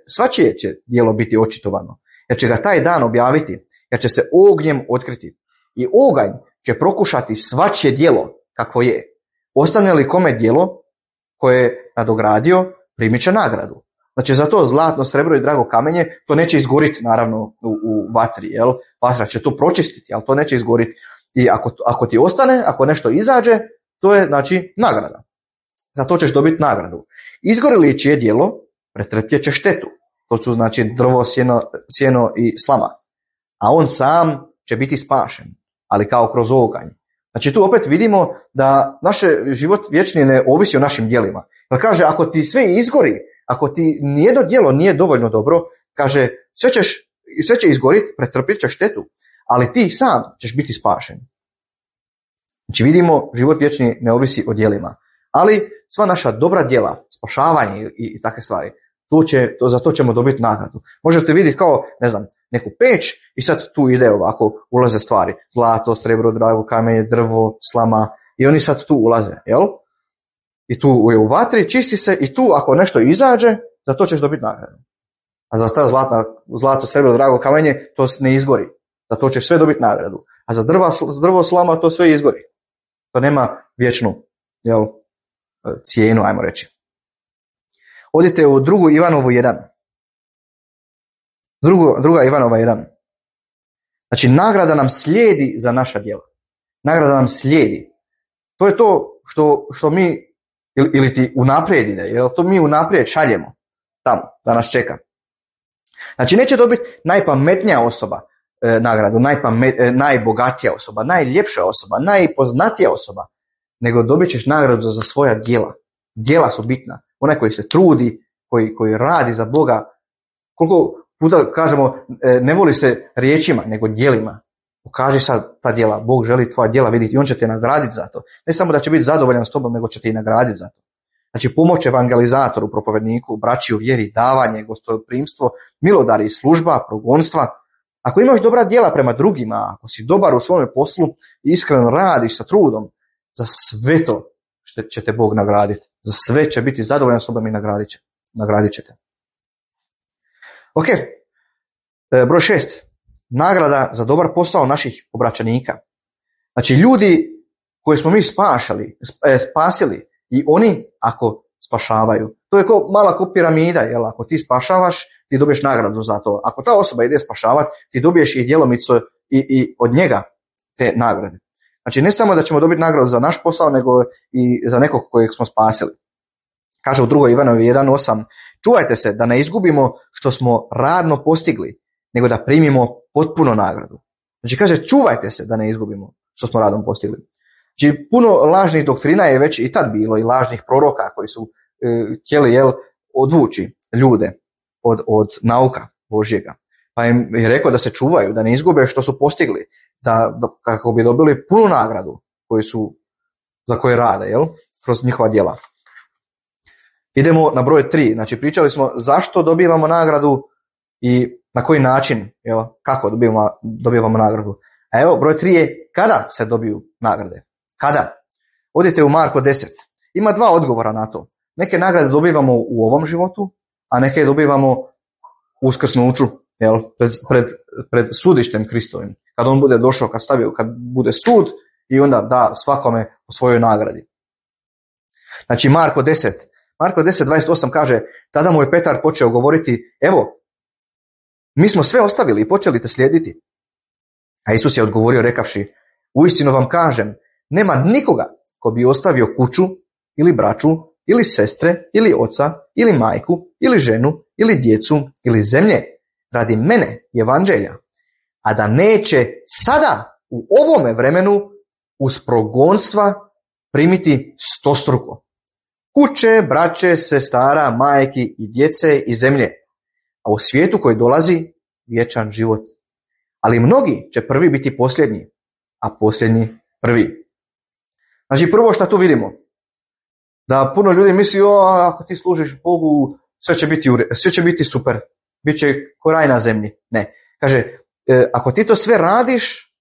Svačije će djelo biti očitovano, jer će ga taj dan objaviti, jer će se ognjem otkriti. I oganj će prokušati svačije djelo kako je. Ostane li kome djelo koje je nadogradio, primit će nagradu. Znači za to zlatno, srebro i drago kamenje, to neće izgoriti naravno u vatri, jel? Vatra će to pročistiti, ali to neće izgoriti. I ako ti ostane, ako nešto izađe, to je znači nagrada. Za to ćeš dobiti nagradu. Izgori li čije djelo, pretrpjet će štetu. To su znači drvo, sjeno i slama. A on sam će biti spašen, ali kao kroz oganj. Znači tu opet vidimo da naš život vječni ne ovisi o našim djelima. Jer kaže, ako ti sve izgori, ako ti nijedno djelo nije dovoljno dobro, kaže, sve će izgoriti, pretrpjet će štetu, ali ti sam ćeš biti spašen. Znači vidimo, život vječni ne ovisi o djelima, ali sva naša dobra djela, spašavanje i takve stvari, za to ćemo dobiti nagradu. Možete vidjeti kao, ne znam, neku peć i sad tu ide ovako, ulaze stvari, zlato, srebro, drago kamenje, drvo, slama i oni sad tu ulaze, jel? I tu je u vatri, čisti se i tu ako nešto izađe, za to ćeš dobiti nagradu. A za ta zlato, srebro, drago kamenje, to ne izgori. Za to ćeš sve dobiti nagradu. A za drvo, slama, to sve izgori. To nema vječnu, jel, cijenu, ajmo reći. Odite u 2. Ivanovu 1. Druga Ivanova 1. Znači, nagrada nam slijedi za naša djela. Nagrada nam slijedi. To je to što mi, ili ti unaprijed ide, jer to mi unaprijed šaljemo tamo, da nas čeka. Znači, neće dobiti najpametnija osoba nagradu, najbogatija osoba, najljepša osoba, najpoznatija osoba, nego dobit ćeš nagradu za svoja djela. Djela su bitna. Onaj koji se trudi, koji radi za Boga. Koliko puta kažemo, ne voli se riječima, nego djelima. Pokaži sad ta djela. Bog želi tvoja djela vidjeti i on će te nagraditi za to. Ne samo da će biti zadovoljan s tobom, nego će te i nagraditi za to. Znači pomoć evangelizatoru, propovjedniku, braći u vjeri, davanje, gostoprimstvo, milodari, služba, progonstva. Ako imaš dobra djela prema drugima, ako si dobar u svome poslu i iskreno radiš sa trudom, za sve to će te Bog nagraditi. Za sve će biti zadovoljan s tobom i nagradit će te. Ok, broj 6. Nagrada za dobar posao naših obraćanika. Znači ljudi koje smo mi spasili i oni ako spašavaju. To je mala ko piramida, jel? Ako ti spašavaš, ti dobiješ nagradu za to. Ako ta osoba ide spašavati, ti dobiješ i djelomicu i od njega te nagrade. Znači ne samo da ćemo dobiti nagradu za naš posao, nego i za nekog kojeg smo spasili. Kaže u 2. Ivanovi 1.8, čuvajte se da ne izgubimo što smo radno postigli, nego da primimo potpuno nagradu. Znači kaže čuvajte se da ne izgubimo što smo radom postigli. Znači puno lažnih doktrina je već i tad bilo i lažnih proroka koji su htjeli odvući ljude od nauka Božjega. Pa im je rekao da se čuvaju, da ne izgube što su postigli, da kako bi dobili punu nagradu za koje rade, kroz njihova djela. Idemo na broj 3. Znači pričali smo zašto dobivamo nagradu i na koji način, kako dobivamo nagradu. A evo broj 3 je kada se dobiju nagrade. Kada? Odite u Marko 10. Ima 2 odgovora na to. Neke nagrade dobivamo u ovom životu, a neke dobivamo uskrsnuću, pred sudištem Kristovim. Kad on bude došao, kad bude sud i onda da svakome o svojoj nagradi. Znači Marko 10.28 kaže, tada mu je Petar počeo govoriti, evo, mi smo sve ostavili i počeli te slijediti. A Isus je odgovorio rekavši, uistinu vam kažem, nema nikoga ko bi ostavio kuću ili braću ili sestre ili oca ili majku ili ženu ili djecu ili zemlje radi mene i evanđelja, a da neće sada u ovome vremenu uz progonstva primiti stostruko. Kuće, braće, sestara, majki i djece i zemlje, a u svijetu koji dolazi vječan život. Ali mnogi će prvi biti posljednji, a posljednji prvi. Znači prvo što tu vidimo, da puno ljudi misli, ako ti služiš Bogu, sve će biti super, bit će ko raj na zemlji. Ne, kaže, ako ti to sve radiš,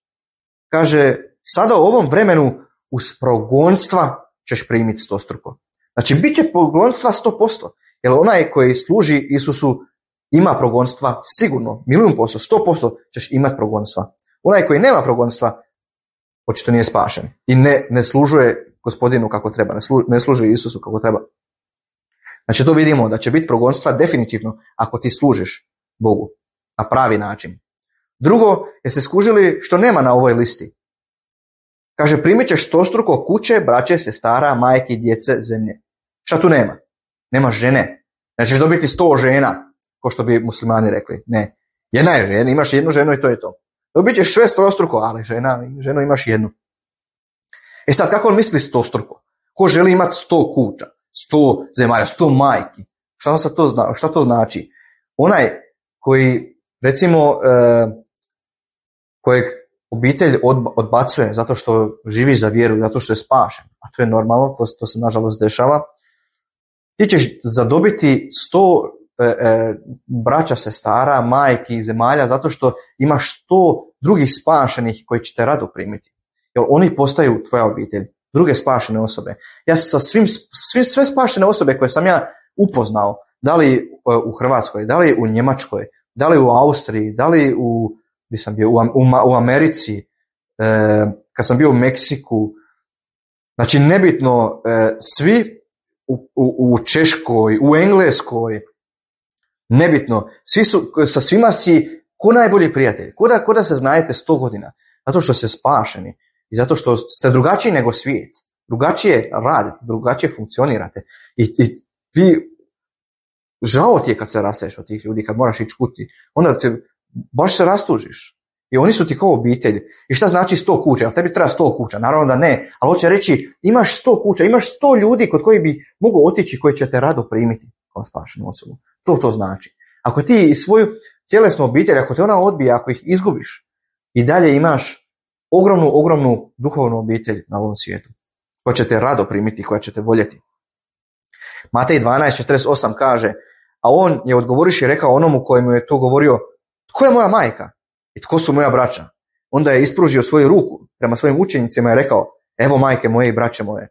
kaže, sada u ovom vremenu uz progonstva ćeš primiti stostruko. Znači, bit će progonstva 100%, jer onaj koji služi Isusu ima progonstva sigurno, 100%, 100% ćeš imati progonstva. Onaj koji nema progonstva, očito nije spašen i ne služuje Gospodinu kako treba, ne služi Isusu kako treba. Znači, to vidimo da će biti progonstva definitivno ako ti služiš Bogu na pravi način. Drugo, jeste skužili što nema na ovoj listi? Kaže, primit ćeš stostruko kuće, braće, sestara, majki, djece, zemlje. Šta tu nema? Nema žene. Nećeš dobiti 100 žena, ko što bi muslimani rekli. Ne. Jedna je žena, imaš jednu ženu i to je to. Dobit ćeš sve stostruko, ali ženu imaš jednu. E sad, kako on misli stostruko? Ko želi imati 100 kuća, 100 zemalja, 100 majki? Šta to znači? Onaj koji, recimo, kojeg obitelj odbacuje zato što živi za vjeru, zato što je spašen, a to je normalno, to se nažalost dešava, ti ćeš zadobiti 100 braća, sestara, majki, zemalja, zato što imaš 100 drugih spašenih koji će te rado primiti. Jer oni postaju tvoja obitelj, druge spašene osobe. Ja sa sve spašene osobe koje sam ja upoznao, da li u Hrvatskoj, da li u Njemačkoj, da li u Austriji, da li gdje sam bio, u Americi, kad sam bio u Meksiku, znači nebitno, svi u Češkoj, u Engleskoj, nebitno, sa svima si ko najbolji prijatelj, ko da se znajete 100 godina, zato što ste spašeni i zato što ste drugačiji nego svijet, drugačije radite, drugačije funkcionirate i ti žao ti je kad se rastaješ od tih ljudi, kad moraš ići kući, onda te baš se rastužiš. I oni su ti kao obitelj. I šta znači 100 kuća? Jel tebi treba 100 kuća? Naravno da ne. Ali hoće reći, imaš 100 kuća, imaš 100 ljudi kod koji bi mogu otići, koji će te rado primiti kao spašenu osobu. To znači. Ako ti svoju tjelesnu obitelj, ako te ona odbije, ako ih izgubiš, i dalje imaš ogromnu duhovnu obitelj na ovom svijetu, koja će te rado primiti, koja će te voljeti. Matej 12.48 kaže, a on je odgovoriš i rekao onomu kojemu je to govorio, tko je moja majka i tko su moja braća? Onda je ispružio svoju ruku prema svojim učenicima i rekao, evo majke moje i braće moje,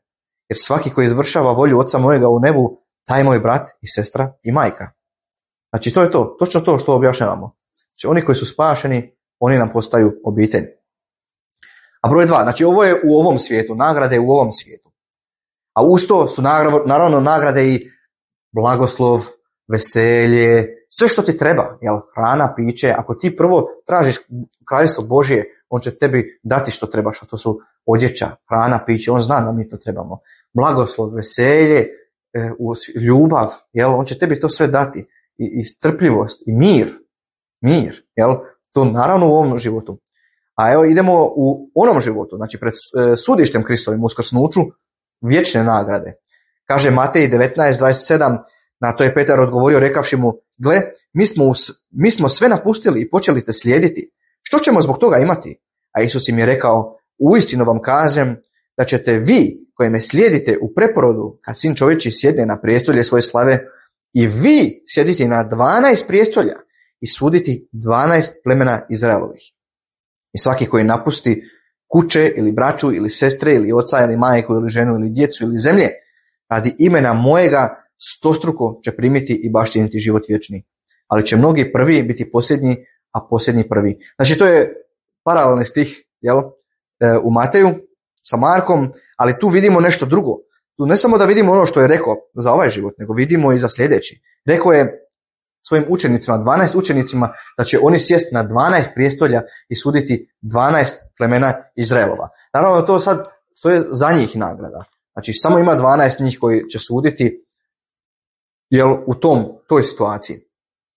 jer svaki koji izvršava volju Oca mojega u nebu, taj je moj brat i sestra i majka. Znači to je to, točno to što objašnjavamo. Znači oni koji su spašeni, oni nam postaju obitelj. A broj 2, znači ovo je u ovom svijetu, nagrade u ovom svijetu. A uz to su naravno nagrade i blagoslov, veselje, sve što ti treba, jel, hrana, piće, ako ti prvo tražiš kraljevstvo Božje, on će tebi dati što trebaš, a to su odjeća, hrana, piće, on zna da mi to trebamo. Blagoslov, veselje, ljubav, jel, on će tebi to sve dati. I strpljivost, i mir, jel, to naravno u ovom životu. A evo idemo u onom životu, znači pred sudištem Kristovim, uskrsnuću, vječne nagrade. Kaže Matej 19:27, na to je Petar odgovorio rekavši mu, gle, mi smo sve napustili i počeli te slijediti. Što ćemo zbog toga imati? A Isus im je rekao, uistinu vam kažem da ćete vi koji me slijedite u preporodu, kad Sin čovječji sjedne na prijestolje svoje slave, i vi sjediti na 12 prijestolja i suditi 12 plemena Izraelovih. I svaki koji napusti kuće ili braću ili sestre ili oca ili majku ili ženu ili djecu ili zemlje, radi imena mojega stostruko će primiti i baštiniti život vječni. Ali će mnogi prvi biti posljednji, a posljednji prvi. Znači to je paralelni stih, jel, u Mateju sa Markom, ali tu vidimo nešto drugo. Tu ne samo da vidimo ono što je rekao za ovaj život, nego vidimo i za sljedeći. Rekao je svojim učenicima, 12 učenicima, da će oni sjesti na 12 prijestolja i suditi 12 plemena Izraelova. Naravno to je za njih nagrada. Znači samo ima 12 njih koji će suditi, jel, u toj situaciji.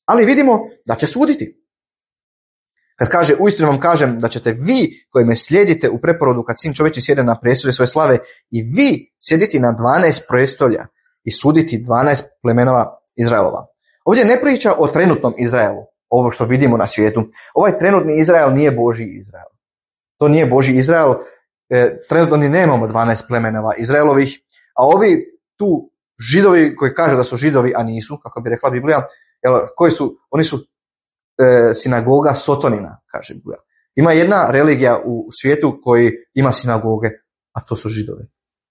Ali vidimo da će suditi. Kad kaže, uistinu vam kažem da ćete vi koji me slijedite u preporodu kad Sin čovječji sjede na prijestolje svoje slave, i vi sjediti na 12 prijestolja i suditi 12 plemenova Izraelova. Ovdje ne priča o trenutnom Izraelu, ovo što vidimo na svijetu. Ovaj trenutni Izrael nije Božji Izrael. To nije Božji Izrael. Trenutno ni nemamo 12 plemenova Izraelovih, a ovi tu Židovi koji kažu da su Židovi, a nisu, kako bi rekla Biblija, koji su, oni su sinagoga Sotonina, kaže Biblija. Ima jedna religija u svijetu koji ima sinagoge, a to su Židovi.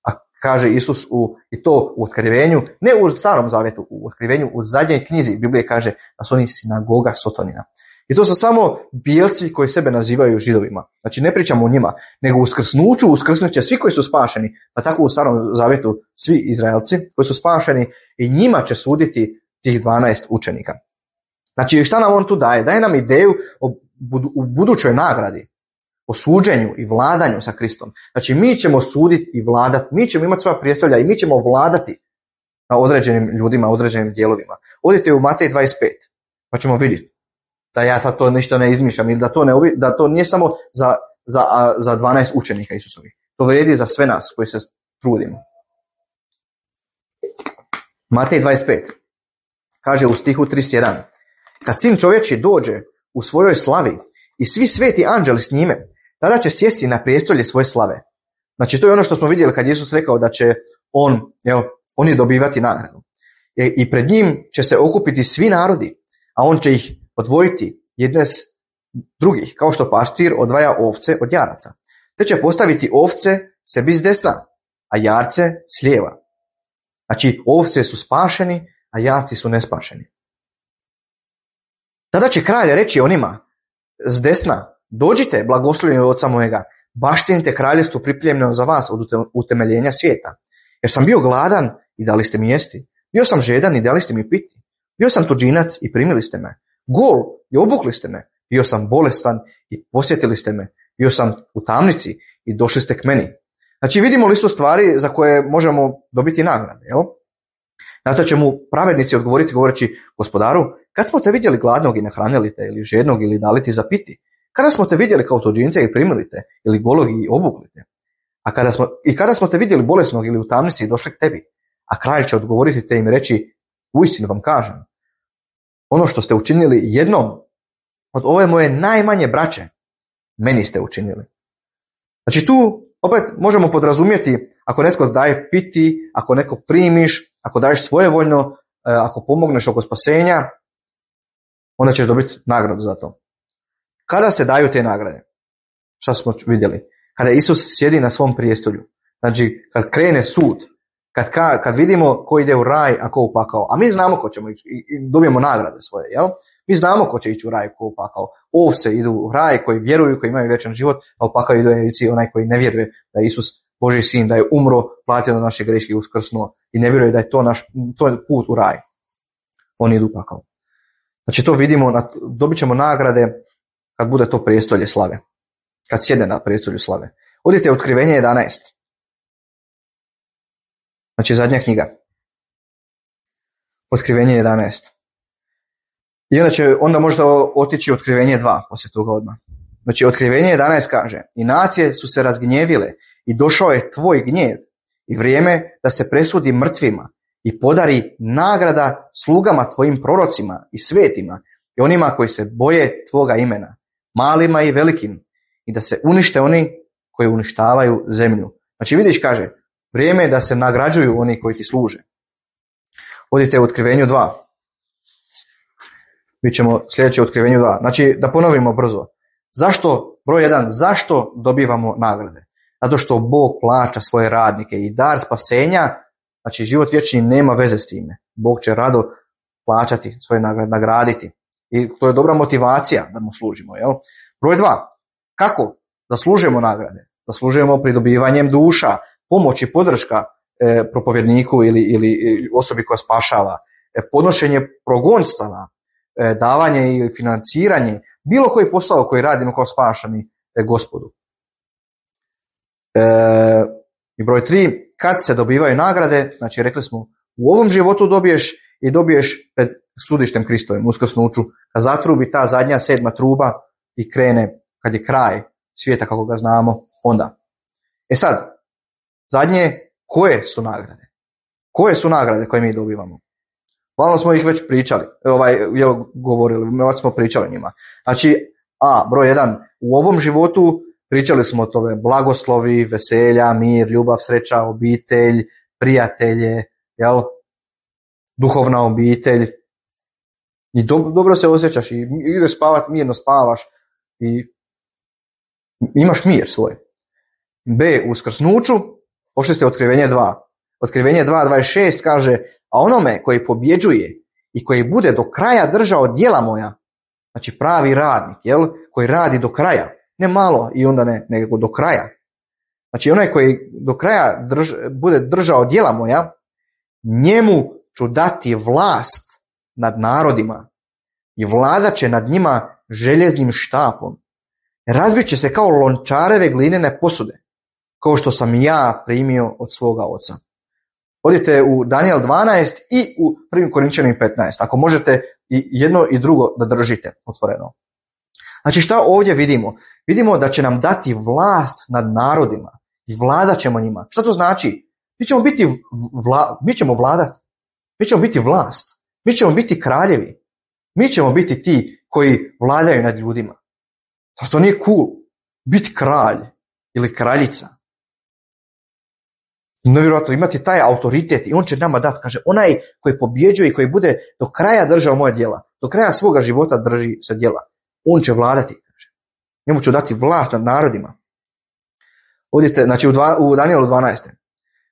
A kaže Isus i to u Otkrivenju, ne u Starom Zavjetu, u Otkrivenju, u zadnjoj knjizi Biblije kaže da su oni sinagoga Sotonina. I to su samo bijelci koji sebe nazivaju Židovima. Znači ne pričamo o njima, nego uskrsnuću uskrsnut će svi koji su spašeni, pa tako u Starom Zavjetu svi Izraelci koji su spašeni, i njima će suditi tih 12 učenika. Znači šta nam on tu daje? Daje nam ideju u budućoj nagradi, o suđenju i vladanju sa Kristom. Znači mi ćemo suditi i vladati, mi ćemo imati svoja prijestolja i mi ćemo vladati na određenim ljudima, određenim dijelovima. Odite u Matej 25, pa ćemo vidjeti da ja sad to ništa ne izmišljam ili da to nije samo za 12 učenika Isusovih. To vrijedi za sve nas koji se trudimo. Matej 25 kaže u stihu 31, kad Sin čovječji dođe u svojoj slavi i svi sveti anđeli s njime, tada će sjesti na prijestolje svoje slave. Znači to je ono što smo vidjeli kad Isus rekao da će oni dobivati nagradu. I pred njim će se okupiti svi narodi, a on će ih odvojiti jedne s drugih, kao što pastir odvaja ovce od jaraca. Te će postaviti ovce sebi s desna, a jarce s lijeva. Znači ovce su spašeni, a jarci su nespašeni. Tada će kralj reći onima s desna, dođite, blagoslovljeni od oca mojega, baštinite kraljevstvo pripremljeno za vas od utemeljenja svijeta. Jer sam bio gladan i dali ste mi jesti. Bio sam žedan i dali ste mi piti. Bio sam tuđinac i primili ste me. Gol i obukli ste me. Bio sam bolestan i posjetili ste me. Bio sam u tamnici i došli ste k meni. Znači vidimo listu stvari za koje možemo dobiti nagrade. Jel? Na to će mu pravednici odgovoriti govoreći, gospodaru, kad smo te vidjeli gladnog i nahranili te, ili žednog ili dali ti za piti? Kada smo te vidjeli kao tuđinca i primili te, ili golog i obukli te? Kada smo te vidjeli bolesnog ili u tamnici i došli k tebi? A kralj će odgovoriti te im reći, uistinu vam kažem, ono što ste učinili jednom od ove moje najmanje braće, meni ste učinili. Znači tu opet možemo podrazumjeti, ako netko daje piti, ako neko primiš, ako daješ svojevoljno, ako pomogneš oko spasenja, onda ćeš dobiti nagradu za to. Kada se daju te nagrade? Šta smo vidjeli? Kada Isus sjedi na svom prijestolju. Znači kad krene sud, kad vidimo ko ide u raj, a ko u pakao. A mi znamo ko ćemo ići i dobijemo nagrade svoje, jel? Mi znamo ko će ići u raj, ko u pakao. Ovce idu u raj koji vjeruju, koji imaju vječan život, a u pakao idu onaj koji ne vjeruje da je Isus Božji sin, da je umro, platio na naše greške i uskrsnuo i ne vjeruje da je to je put u raj. Oni idu u pakao. Znači to vidimo, dobit ćemo nagrade kad bude to prijestolje slave. Kad sjedne na prijestolju slave. Odite Otkrivenje 11. Znači zadnja knjiga. Otkrivenje 11. I onda možete otići Otkrivenje 2 poslije toga odmah. Znači Otkrivenje 11 kaže: i nacije su se razgnjevile i došao je tvoj gnjev i vrijeme da se presudi mrtvima i podari nagrada slugama tvojim prorocima i svetima i onima koji se boje tvoga imena, malima i velikim, i da se unište oni koji uništavaju zemlju. Znači vidiš, kaže, vrijeme je da se nagrađuju oni koji ti služe. Odite u Otkrivenju 2. Mi ćemo sljedeće Otkrivenju 2. Znači da ponovimo brzo. Zašto, broj 1, zašto dobivamo nagrade? Zato što Bog plaća svoje radnike i dar spasenja, znači život vječni nema veze s time. Bog će rado plaćati svoje nagrade, nagraditi. I to je dobra motivacija da mu služimo. Jel? Broj 2, kako zaslužujemo nagrade? Zaslužujemo pridobivanjem duša, pomoć i podrška propovjedniku ili osobi koja spašava, podnošenje progonstava, davanje i financiranje, bilo koji posao koji radimo kao spašani Gospodu. I broj 3, kad se dobivaju nagrade, znači rekli smo, u ovom životu dobiješ i dobiješ pred sudištem Kristovim, uskrsnuću, kad zatrubi ta zadnja 7. truba i krene, kad je kraj svijeta kako ga znamo, onda. Sad, zadnje, koje su nagrade? Koje su nagrade koje mi dobivamo? Uglavnom smo ih već pričali, govorili, već smo pričali njima. Znači, broj 1, u ovom životu pričali smo o tome blagoslovi, veselja, mir, ljubav, sreća, obitelj, prijatelje, jel? Duhovna obitelj. I dobro se osjećaš i ideš spavat, mirno spavaš i imaš mir svoj. B, u uskrsnuću, pošli ste Otkrivenje 2. Otkrivenje 2:26 kaže: a onome koji pobjeđuje i koji bude do kraja držao djela moja, znači pravi radnik, jel? Koji radi do kraja, ne malo i onda ne, nego do kraja. Znači onaj koji do kraja bude držao djela moja, njemu ću dati vlast nad narodima i vladat će nad njima željeznim štapom. Razbit će se kao lončareve glinene posude, kao što sam ja primio od svoga oca. Odite u Daniel 12 i u 1. Korinčanim 15. Ako možete i jedno i drugo da držite otvoreno. Znači šta ovdje vidimo? Vidimo da će nam dati vlast nad narodima i vladat ćemo njima. Šta to znači? Mi ćemo vladati. Mi ćemo biti vlast. Mi ćemo biti kraljevi. Mi ćemo biti ti koji vladaju nad ljudima. To nije cool. Biti kralj ili kraljica. Nevjerojatno, imati taj autoritet i on će nama dati, kaže, onaj koji pobjeđuje i koji bude do kraja držao moje djela, do kraja svoga života drži se djela, on će vladati, kaže. Njemu ću dati vlast nad narodima. Odite, znači u Danielu 12.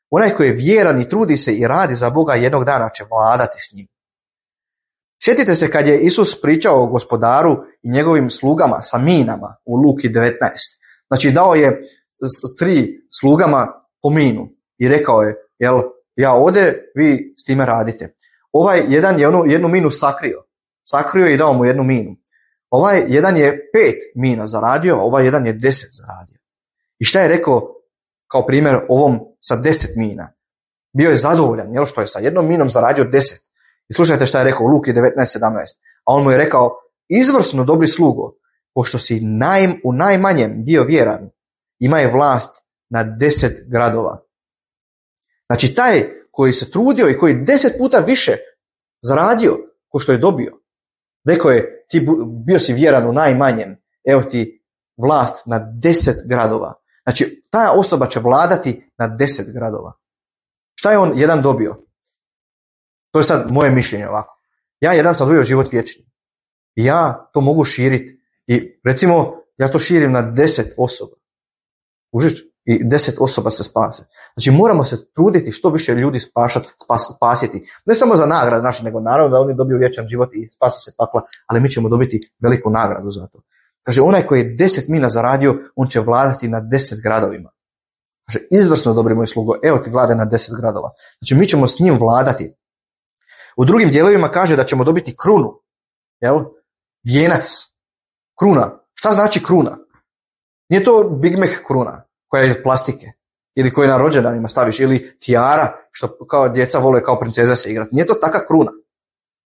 Onaj koji je vjeran i trudi se i radi za Boga, jednog dana će vladati s njim. Sjetite se kad je Isus pričao o Gospodaru i njegovim slugama sa minama u Luki 19. Znači dao je 3 slugama po minu. I rekao je, jel, ja ode, vi s time radite. Ovaj jedan je jednu minu sakrio. Sakrio i dao mu 1 minu. Ovaj jedan je 5 mina zaradio, ovaj jedan je 10 zaradio. I šta je rekao kao primjer ovom sa 10 mina? Bio je zadovoljan, jel, što je sa 1 minom zaradio 10. I slušajte šta je rekao u Luki 19:17. A on mu je rekao, izvrsno dobri slugo, pošto si u najmanjem bio vjeran, ima je vlast na 10 gradova. Znači taj koji se trudio i koji 10 puta više zaradio ko što je dobio, rekao je, ti bio si vjeran u najmanjem, evo ti vlast na 10 gradova. Znači ta osoba će vladati na 10 gradova. Šta je on jedan dobio? To je sad moje mišljenje ovako. Ja jedan sam dobio život vječni. I ja to mogu širiti. I recimo ja to širim na 10 osoba. Užiš? I 10 osoba se spase. Znači moramo se truditi što više ljudi spasiti. Ne samo za nagradu naše, nego naravno da oni dobiju vječan život i spase se pakla, ali mi ćemo dobiti veliku nagradu za to. Kaže, onaj koji je 10 mina zaradio, on će vladati na 10 gradovima. Kaže, izvrsno dobri moj slugo, evo ti vlade na 10 gradova. Znači mi ćemo s njim vladati. U drugim dijelovima kaže da ćemo dobiti krunu. jel? Vijenac, kruna. Šta znači kruna? Nije to Big Mac kruna koja je iz plastike ili koja je na rođendanima staviš ili tijara što kao djeca vole kao princeza se igrati. Nije to taka kruna.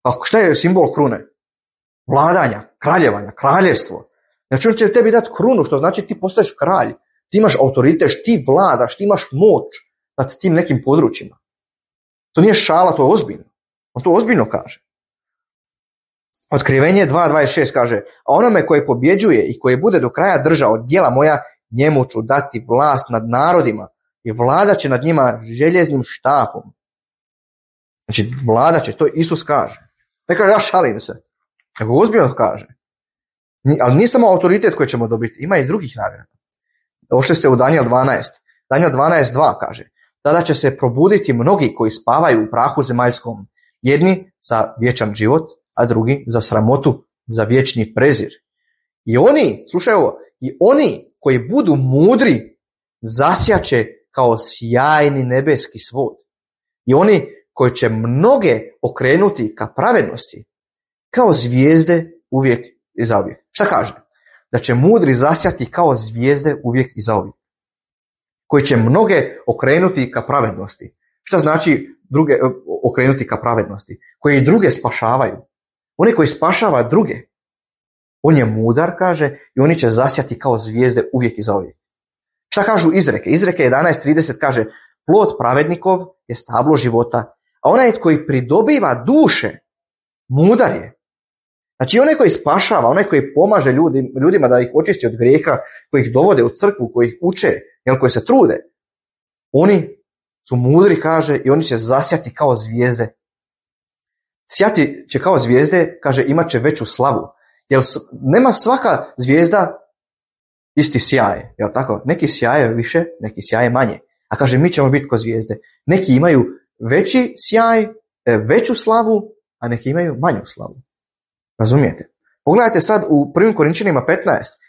A šta je simbol krune? Vladanja, kraljevanja, kraljevstvo. Znači on će tebi dati krunu, što znači ti postaješ kralj. Ti imaš autoritet, ti vladaš, ti imaš moć nad tim nekim područjima. To nije šala, to je ozbiljno. On to ozbiljno kaže. Otkrivenje 2.26 kaže, a onome koji pobjeđuje i koji bude do kraja držao djela moja, njemu ću dati vlast nad narodima i vladat će nad njima željeznim štapom. Znači vladat će, to Isus kaže. Ne kaže ja šalim se, nego ozbiljno kaže. Ali nije samo autoritet koji ćemo dobiti, ima i drugih nagrada. Došli ste u Danijel 12. Danijel 12.2 kaže, tada će se probuditi mnogi koji spavaju u prahu zemaljskom, jedni za vječan život, a drugi za sramotu, za vječni prezir. I oni, slušaj ovo, i oni koji budu mudri zasjaće kao sjajni nebeski svod. I oni koji će mnoge okrenuti ka pravednosti, kao zvijezde uvijek i zauvijek. Šta kaže? Da će mudri zasjati kao zvijezde uvijek i zauvijek. Koji će mnoge okrenuti ka pravednosti. Šta znači druge okrenuti ka pravednosti? Koji druge spašavaju. Oni koji spašava druge. On je mudar, kaže, i oni će zasjati kao zvijezde uvijek i zauvijek. Šta kažu izreke? Izreke 11.30 kaže, plod pravednikov je stablo života, a onaj koji pridobiva duše, mudar je. Znači onaj koji spašava, onaj koji pomaže ljudima da ih očisti od grijeha, koji ih dovode u crkvu, koji ih uče, koji se trude, oni su mudri, kaže, i oni će zasjati kao zvijezde. Sjati će kao zvijezde, kaže, imat će veću slavu. Jer nema svaka zvijezda isti sjaj, jel tako? Neki sjaje više, neki sjaje manje. A kaže, mi ćemo biti kao zvijezde. Neki imaju veći sjaj, veću slavu, a neki imaju manju slavu. Razumijete? Pogledajte sad u 1. Korinčanima 15,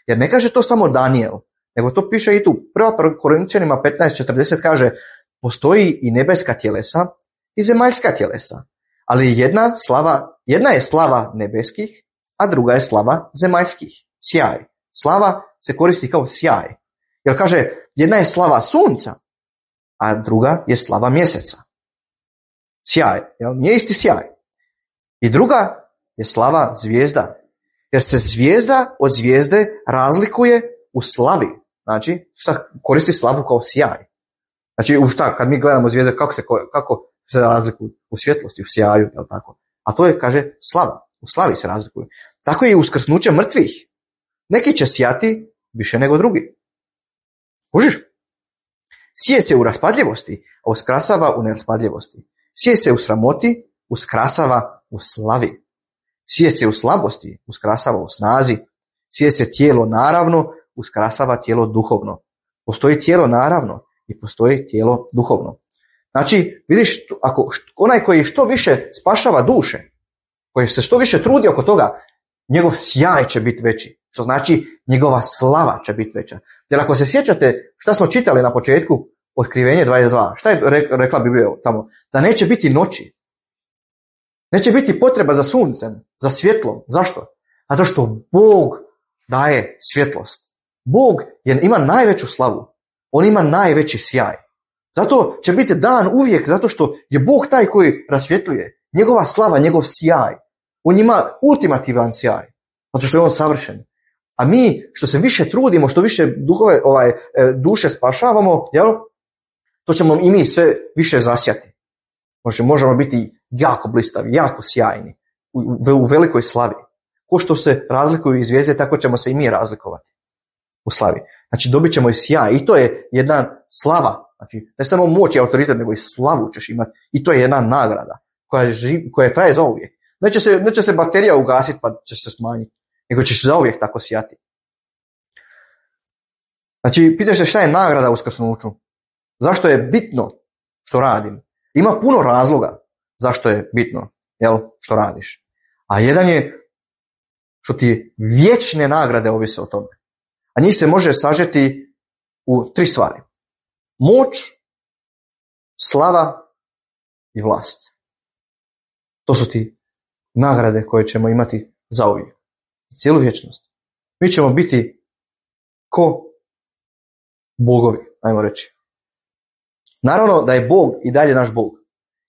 jer ne kaže to samo Danijel, nego to piše i tu. 1. Korinčanima 15.40 kaže, postoji i nebeska tjelesa i zemaljska tjelesa, ali jedna je slava nebeskih, a druga je slava zemaljskih. Sjaj. Slava se koristi kao sjaj. Jer kaže, jedna je slava sunca, a druga je slava mjeseca. Sjaj. Jel? Nije isti sjaj. I druga je slava zvijezda. Jer se zvijezda od zvijezde razlikuje u slavi. Znači, šta koristi slavu kao sjaj. Znači, u šta, kad mi gledamo zvijezde, kako se razlikuju? U svjetlosti, u sjaju, jel tako? A to je, kaže, slava. U slavi se razlikuju. Tako je i uskrsnuće mrtvih. Neki će sjati više nego drugi. Kužiš? Sije se u raspadljivosti, a uskrasava u neraspadljivosti. Sije se u sramoti, uskrasava u slavi. Sije se u slabosti, uskrasava u snazi. Sije se tijelo naravno, uskrasava tijelo duhovno. Postoji tijelo naravno i postoji tijelo duhovno. Znači, vidiš, ako onaj koji što više spašava duše, koji se što više trudi oko toga, njegov sjaj će biti veći. Što znači, njegova slava će biti veća. Jer ako se sjećate šta smo čitali na početku, Otkrivenje 22, šta je rekla Biblija tamo? Da neće biti noći. Neće biti potreba za suncem, za svjetlom. Zašto? Zato što Bog daje svjetlost. Bog ima najveću slavu. On ima najveći sjaj. Zato će biti dan uvijek, zato što je Bog taj koji rasvjetljuje. Njegova slava, njegov sjaj. On ima ultimativan sjaj. Zato što je on savršen. A mi što se više trudimo, što više duše spašavamo, jel? To ćemo i mi sve više zasjati. Možemo biti jako blistavi, jako sjajni, u velikoj slavi. Ko što se razlikuju iz zvijezde, tako ćemo se i mi razlikovati u slavi. Znači dobit ćemo i sjaj i to je jedna slava. Znači ne samo moć i autoritet, nego i slavu ćeš imati. I to je jedna nagrada koja traje zauvijek. Neće se baterija ugasiti pa će se smanjiti, nego ćeš zauvijek tako sjati. Znači pitaš se šta je nagrada u uskrsnuću. Zašto je bitno što radim? Ima puno razloga zašto je bitno, što radiš. A jedan je što ti vječne nagrade ovise o tome. A njih se može sažeti u 3 stvari. Moć, slava i vlast. To su ti nagrade koje ćemo imati zauvijek. Cijelu vječnost. Mi ćemo biti ko bogovi, ajmo reći. Naravno da je Bog i dalje naš Bog.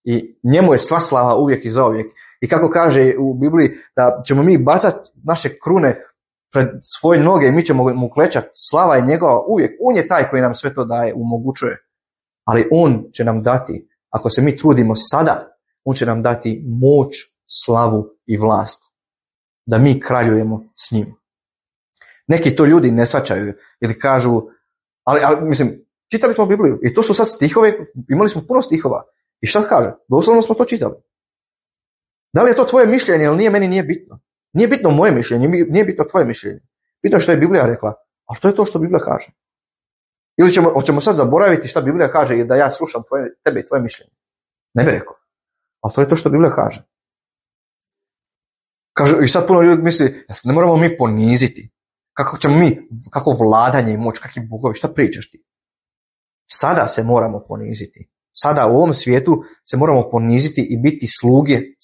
I njemu je sva slava uvijek i zauvijek. I kako kaže u Bibliji da ćemo mi bacati naše krune pred svoje noge i mi ćemo mu klečati, slava je njegova uvijek. On je taj koji nam sve to daje, omogućuje. Ali on će nam dati, ako se mi trudimo sada, on će nam dati moć, slavu i vlast. Da mi kraljujemo s njim. Neki to ljudi ne shvaćaju ili kažu, ali mislim, čitali smo Bibliju i to su sad stihove, imali smo puno stihova. I šta kaže? Doslovno smo to čitali. Da li je to tvoje mišljenje ili nije, meni nije bitno. Nije bitno moje mišljenje, nije bitno tvoje mišljenje. Bitno je što je Biblija rekla, ali to je to što Biblija kaže. Ili hoćemo sad zaboraviti šta Biblija kaže i da ja slušam tebe i tvoje mišljenje. Ne bi rekao. Ali to je to što Biblija kaže. I sad puno ljudi misli, ne moramo mi poniziti. Kako vladanje i moć, kakvi bogovi, šta pričaš ti? Sada se moramo poniziti. Sada u ovom svijetu se moramo poniziti i biti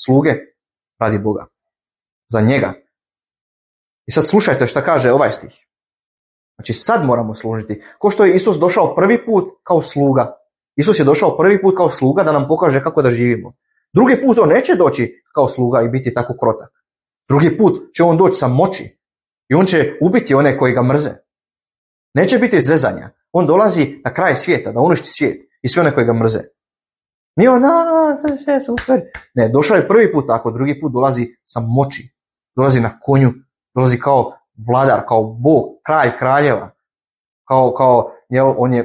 sluge radi Boga. Za njega. I sad slušajte šta kaže ovaj stih. Znači sad moramo služiti. Ko što je Isus došao prvi put kao sluga. Isus je došao prvi put kao sluga da nam pokaže kako da živimo. Drugi put on neće doći kao sluga i biti tako krotak. Drugi put će on doći sa moći. I on će ubiti one koji ga mrze. Neće biti zezanja. On dolazi na kraj svijeta, da uništi svijet i sve one koji ga mrze. Nije on, sve super. Ne, došao je prvi put tako, drugi put dolazi sa moći. Dolazi na konju, dolazi kao vladar, kao Bog, kralj kraljeva.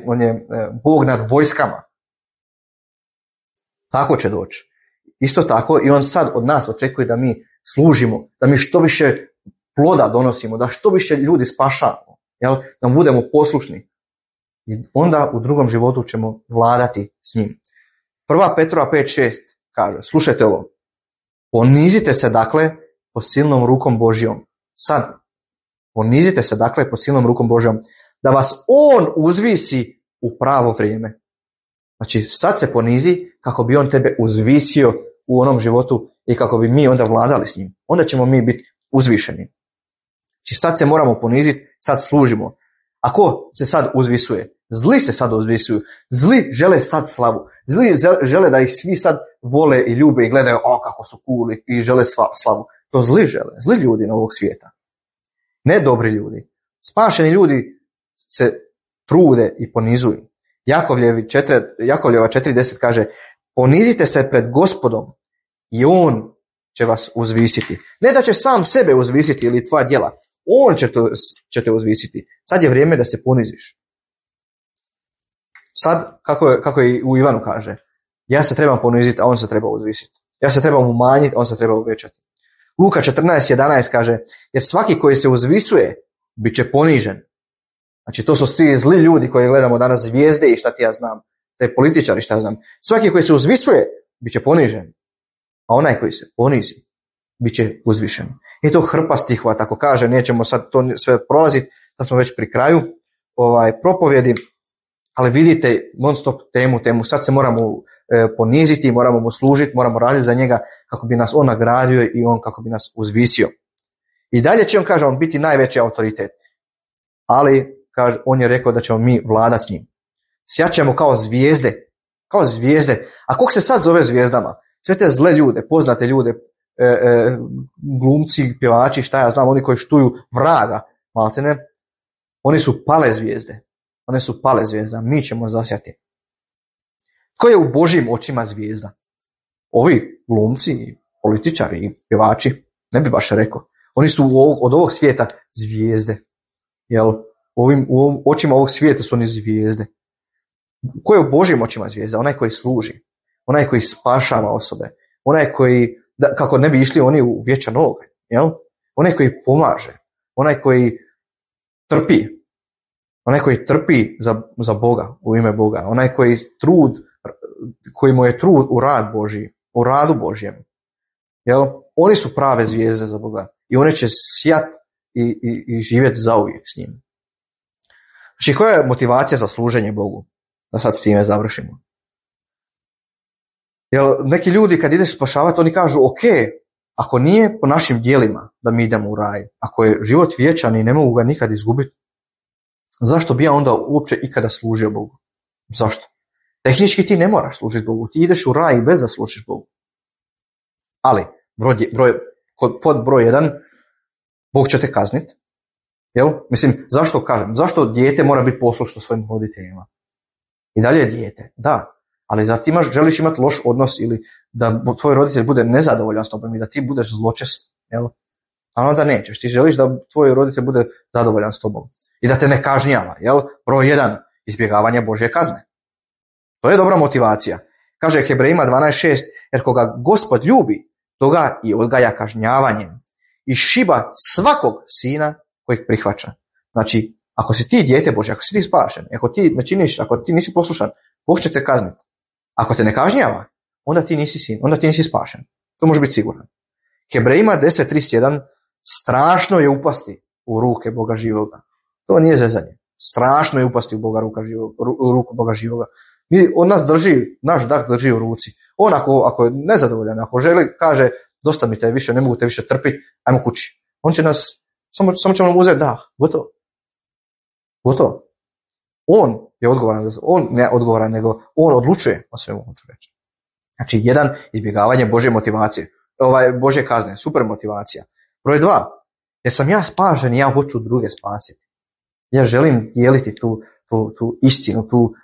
On je Bog nad vojskama. Tako će doći. Isto tako i on sad od nas očekuje da mi služimo, da mi što više ploda donosimo, da što više ljudi spašavamo, da budemo poslušni. I onda u drugom životu ćemo vladati s njim. 1. Petrova 5.6 kaže, slušajte ovo, ponizite se dakle pod silnom rukom Božjom. Sad, ponizite se dakle pod silnom rukom Božjom, da vas on uzvisi u pravo vrijeme. Znači, sad se ponizi kako bi on tebe uzvisio u onom životu i kako bi mi onda vladali s njim. Onda ćemo mi biti uzvišeni. Znači, sad se moramo poniziti, sad služimo. A ko se sad uzvisuje? Zli se sad uzvisuju. Zli žele sad slavu. Zli žele da ih svi sad vole i ljube i gledaju, kako su cool i žele slavu. To zli žele. Zli ljudi na ovog svijeta. Ne dobri ljudi. Spašeni ljudi se trude i ponizuju. Jakovljeva 4.10 kaže, ponizite se pred Gospodom i on će vas uzvisiti. Ne da će sam sebe uzvisiti ili tvoja djela. On će te uzvisiti. Sad je vrijeme da se poniziš. Sad, kako je u Ivanu kaže, ja se trebam poniziti, a on se treba uzvisiti. Ja se trebam umanjiti, a on se treba uvećati. Luka 14.11 kaže, jer svaki koji se uzvisuje, bit će ponižen. Znači, to su svi zli ljudi koji gledamo danas, zvijezde i šta ti ja znam, te političari šta ja znam. Svaki koji se uzvisuje, bit će ponižen. A onaj koji se ponizi, bit će uzvišen. I to hrpa stihova, tako kaže, nećemo sad to sve prolaziti, sad smo već pri kraju propovjedi, ali vidite non stop temu, sad se moramo poniziti, moramo mu služiti, moramo raditi za njega kako bi nas on nagradio i on kako bi nas uzvisio. I dalje će on, kaže, on biti najveći autoritet. Ali, kaže, on je rekao da ćemo mi vladati s njim. Sjaćemo kao zvijezde. A kog se sad zove zvijezdama? Sve te zle ljude, poznate ljude, glumci, pjevači, šta ja znam, oni koji štuju vraga, maltene, oni su pale zvijezde. One su pale zvijezda, mi ćemo zasjati. Tko je u Božjim očima zvijezda? Ovi glumci, političari i pjevači, ne bi baš rekao. Oni su od ovog svijeta zvijezde. U očima ovog svijeta su oni zvijezde. Ko je u Božjim očima zvijezda? Onaj koji služi. Onaj koji spašava osobe. Onaj koji, kako ne bi išli oni u vječan oganj. Onaj koji pomaže. Onaj koji trpi. Onaj koji trpi za Boga, u ime Boga. Onaj koji mu je trud u rad Božji, u radu Božjem. Oni su prave zvijezde za Boga. I one će sjat i živjeti zauvijek s njim. Znači, koja je motivacija za služenje Bogu? Da sad s time završimo. Neki ljudi kad ideš spašavati, oni kažu, ok, ako nije po našim djelima da mi idemo u raj, ako je život vječan i ne mogu ga nikad izgubiti, zašto bi ja onda uopće ikada služio Bogu? Zašto? Tehnički ti ne moraš služiti Bogu, ti ideš u raj bez da služiš Bogu. Ali, pod broj 1, Bog će te kazniti. Jel? Mislim, zašto kažem? Zašto dijete mora biti poslušno svojim roditeljima? I dalje je dijete, da. Ali zar ti želiš imati loš odnos ili da tvoj roditelj bude nezadovoljan s tobom i da ti budeš zločest? Jel? A onda nećeš. Ti želiš da tvoj roditelj bude zadovoljan s tobom i da te ne kažnjava. Jel? Broj 1, izbjegavanje Božje kazne. To je dobra motivacija. Kaže Hebrejima 12.6, jer koga Gospod ljubi, toga i odgaja kažnjavanjem i šiba svakog sina kojeg prihvaća. Znači, ako si ti dijete Božje, ako si ti spašen, ako ti ne činiš, ako ti nisi poslušan, Bog će te kazniti. Ako te ne kažnjava, onda ti nisi sin, onda ti nisi spašen. To može biti siguran. Hebrejima 10.31, strašno je upasti u ruke Boga živoga. To nije zezanje. Strašno je upasti u ruku Boga živoga. On nas drži, naš dah drži u ruci. On ako je nezadovoljan, ako želi, kaže, dosta mi te više, ne mogu te više trpiti, ajmo kući. On će nas, samo će nam uzeti dah. Gotovo. On je odgovoran, on ne odgovoran, nego on odlučuje o svemu, hoću reći. Znači, 1, izbjegavanje Božje motivacije, Božje kazne, super motivacija. Broj 2, jer sam ja spašen i ja hoću druge spasiti. Ja želim dijeliti tu istinu, tu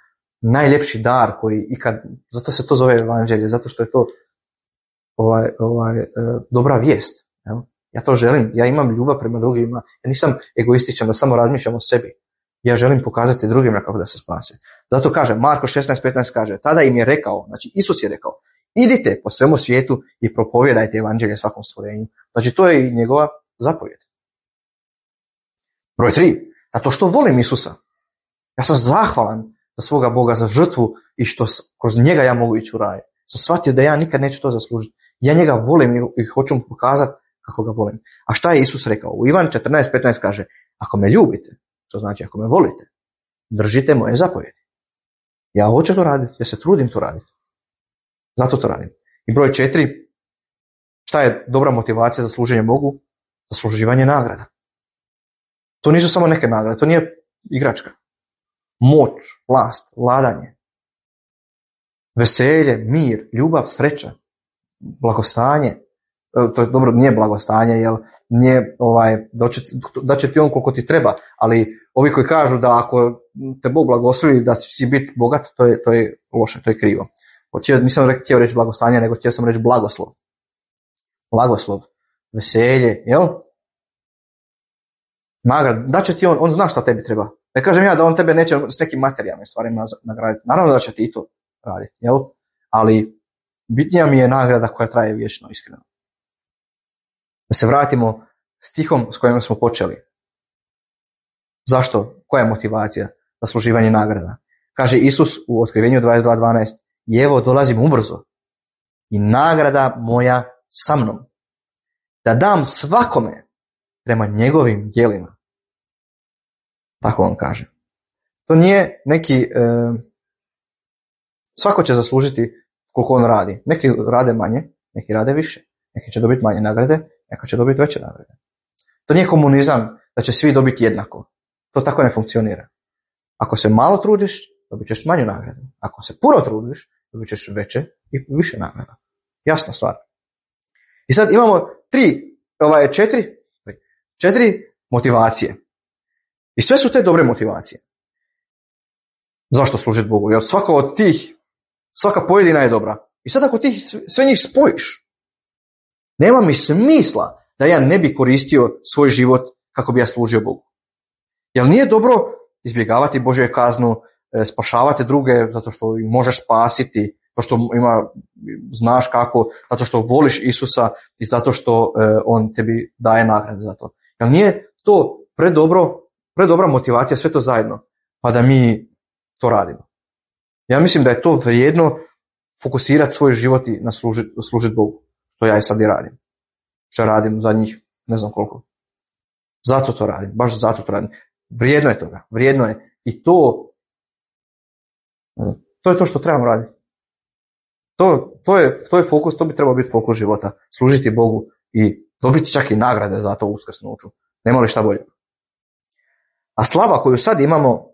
najljepši dar koji ikad, zato se to zove evanđelje, zato što je to dobra vijest. Ja to želim, ja imam ljubav prema drugima, ja nisam egoističan da samo razmišljam o sebi. Ja želim pokazati drugima kako da se spase. Zato kaže, Marko 16.15 kaže, tada im je rekao, znači Isus je rekao, idite po svemu svijetu i propovijedajte evanđelje svakom stvorenju. Znači to je i njegova zapovjed. Broj 3, zato što volim Isusa. Ja sam zahvalan za svoga Boga, za žrtvu i što kroz njega ja mogu ići u raj. Sam shvatio da ja nikad neću to zaslužiti. Ja njega volim i hoću mu pokazati kako ga volim. A šta je Isus rekao? U Ivan 14.15 kaže, ako me ljubite, što znači ako me volite, držite moje zapovjedi. Ja hoću to raditi, ja se trudim to raditi. Zato to radim. I broj 4, šta je dobra motivacija za služenje Bogu? Zasluživanje nagrada. To nisu samo neke nagrade, to nije igračka. Moć, vlast, vladanje, veselje, mir, ljubav, sreća, blagostanje. To je dobro, nije blagostanje, jer nije da će ti on koliko ti treba, ali ovi koji kažu da ako te Bog blagoslovi da će biti bogat, to je loše, to je krivo. Nisam htio reći blagostanje, nego htio sam reći blagoslov. Blagoslov, veselje, jel? Nagrad, da će ti on zna šta tebi treba. Ne kažem ja da on tebe neće s nekim materijalnim stvarima nagraditi. Naravno da će ti i to raditi, jel? Ali bitnija mi je nagrada koja traje vječno, iskreno. Da se vratimo stihom s kojim smo počeli. Zašto? Koja je motivacija? Zasluživanje nagrada. Kaže Isus u Otkrivenju 22.12, i evo dolazim ubrzo i nagrada moja sa mnom, da dam svakome prema njegovim djelima. Tako on kaže. To nije neki, svako će zaslužiti koliko on radi. Neki rade manje, neki rade više. Neki će dobiti manje nagrade, neko će dobiti veće nagrade. To nije komunizam da će svi dobiti jednako. To tako ne funkcionira. Ako se malo trudiš, dobit ćeš manju nagradu. Ako se puno trudiš, dobit ćeš veće i više nagrada. Jasna stvar. I sad imamo četiri motivacije. I sve su te dobre motivacije. Zašto služiti Bogu? Jer svaka pojedina je dobra. I sad ako ti sve njih spojiš, nema mi smisla da ja ne bi koristio svoj život kako bi ja služio Bogu. Jer nije dobro izbjegavati Božju kaznu, spašavati druge zato što ih možeš spasiti, zato što znaš kako, zato što voliš Isusa i zato što on tebi daje nagrade za to. Jer nije to predobra motivacija, sve to zajedno, pa da mi to radimo. Ja mislim da je to vrijedno fokusirati svoj život i na služiti Bogu. To ja i sad i radim. Što radim za njih, ne znam koliko. Zato to radim, baš zato to radim. Vrijedno je toga, vrijedno je. I to je to što trebamo raditi. To je fokus, to bi trebao biti fokus života. Služiti Bogu i dobiti čak i nagrade za to uskrsnuću. Nema li šta bolje. A slava koju sad imamo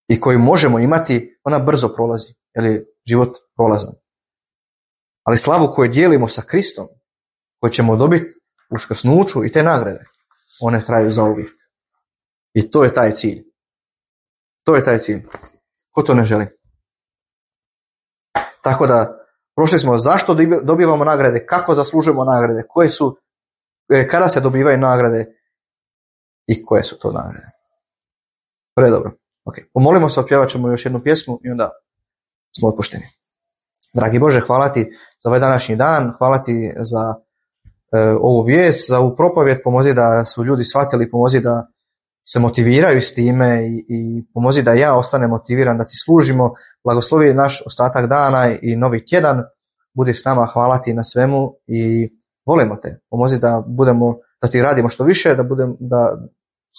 i koju možemo imati, ona brzo prolazi, jer je život prolazan. Ali slavu koju dijelimo sa Kristom, koju ćemo dobiti uskrsnuću i te nagrade, one traju zauvijek. I to je taj cilj. To je taj cilj. Ko to ne želi? Tako da, prošli smo zašto dobivamo nagrade, kako zaslužujemo nagrade, koje su, kada se dobivaju nagrade i koje su to nagrade. Predobro. Okay. Pomolimo se, opjevat ćemo još jednu pjesmu i onda smo otpušteni. Dragi Bože, hvala ti za ovaj današnji dan, hvala ti za ovu vijest, za ovu propovjed, pomozi da su ljudi shvatili, pomozi da se motiviraju s time i pomozi da ja ostanem motiviran, da ti služimo, blagoslovi naš ostatak dana i novi tjedan, budi s nama, hvala ti na svemu i volimo te, pomozi da ti radimo što više, da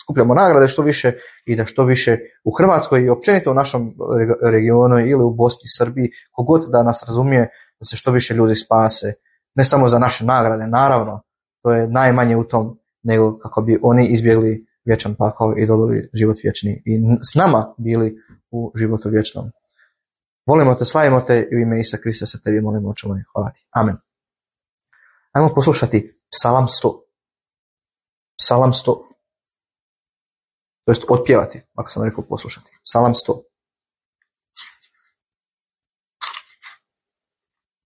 skupljamo nagrade što više i da što više u Hrvatskoj i općenito u našem regionu ili u Bosni, Srbiji, kogod da nas razumije, da se što više ljudi spase, ne samo za naše nagrade, naravno, to je najmanje u tom, nego kako bi oni izbjegli vječan pakao i dobili život vječni i s nama bili u životu vječnom. Volimo te, slavimo te i u ime Isusa Krista se tebi molimo, oče moj, hvala ti. Amen. Ajmo poslušati Psalam 100. Psalam 100. To jest otpjevati, ako sam rekao poslušati. Psalam 100.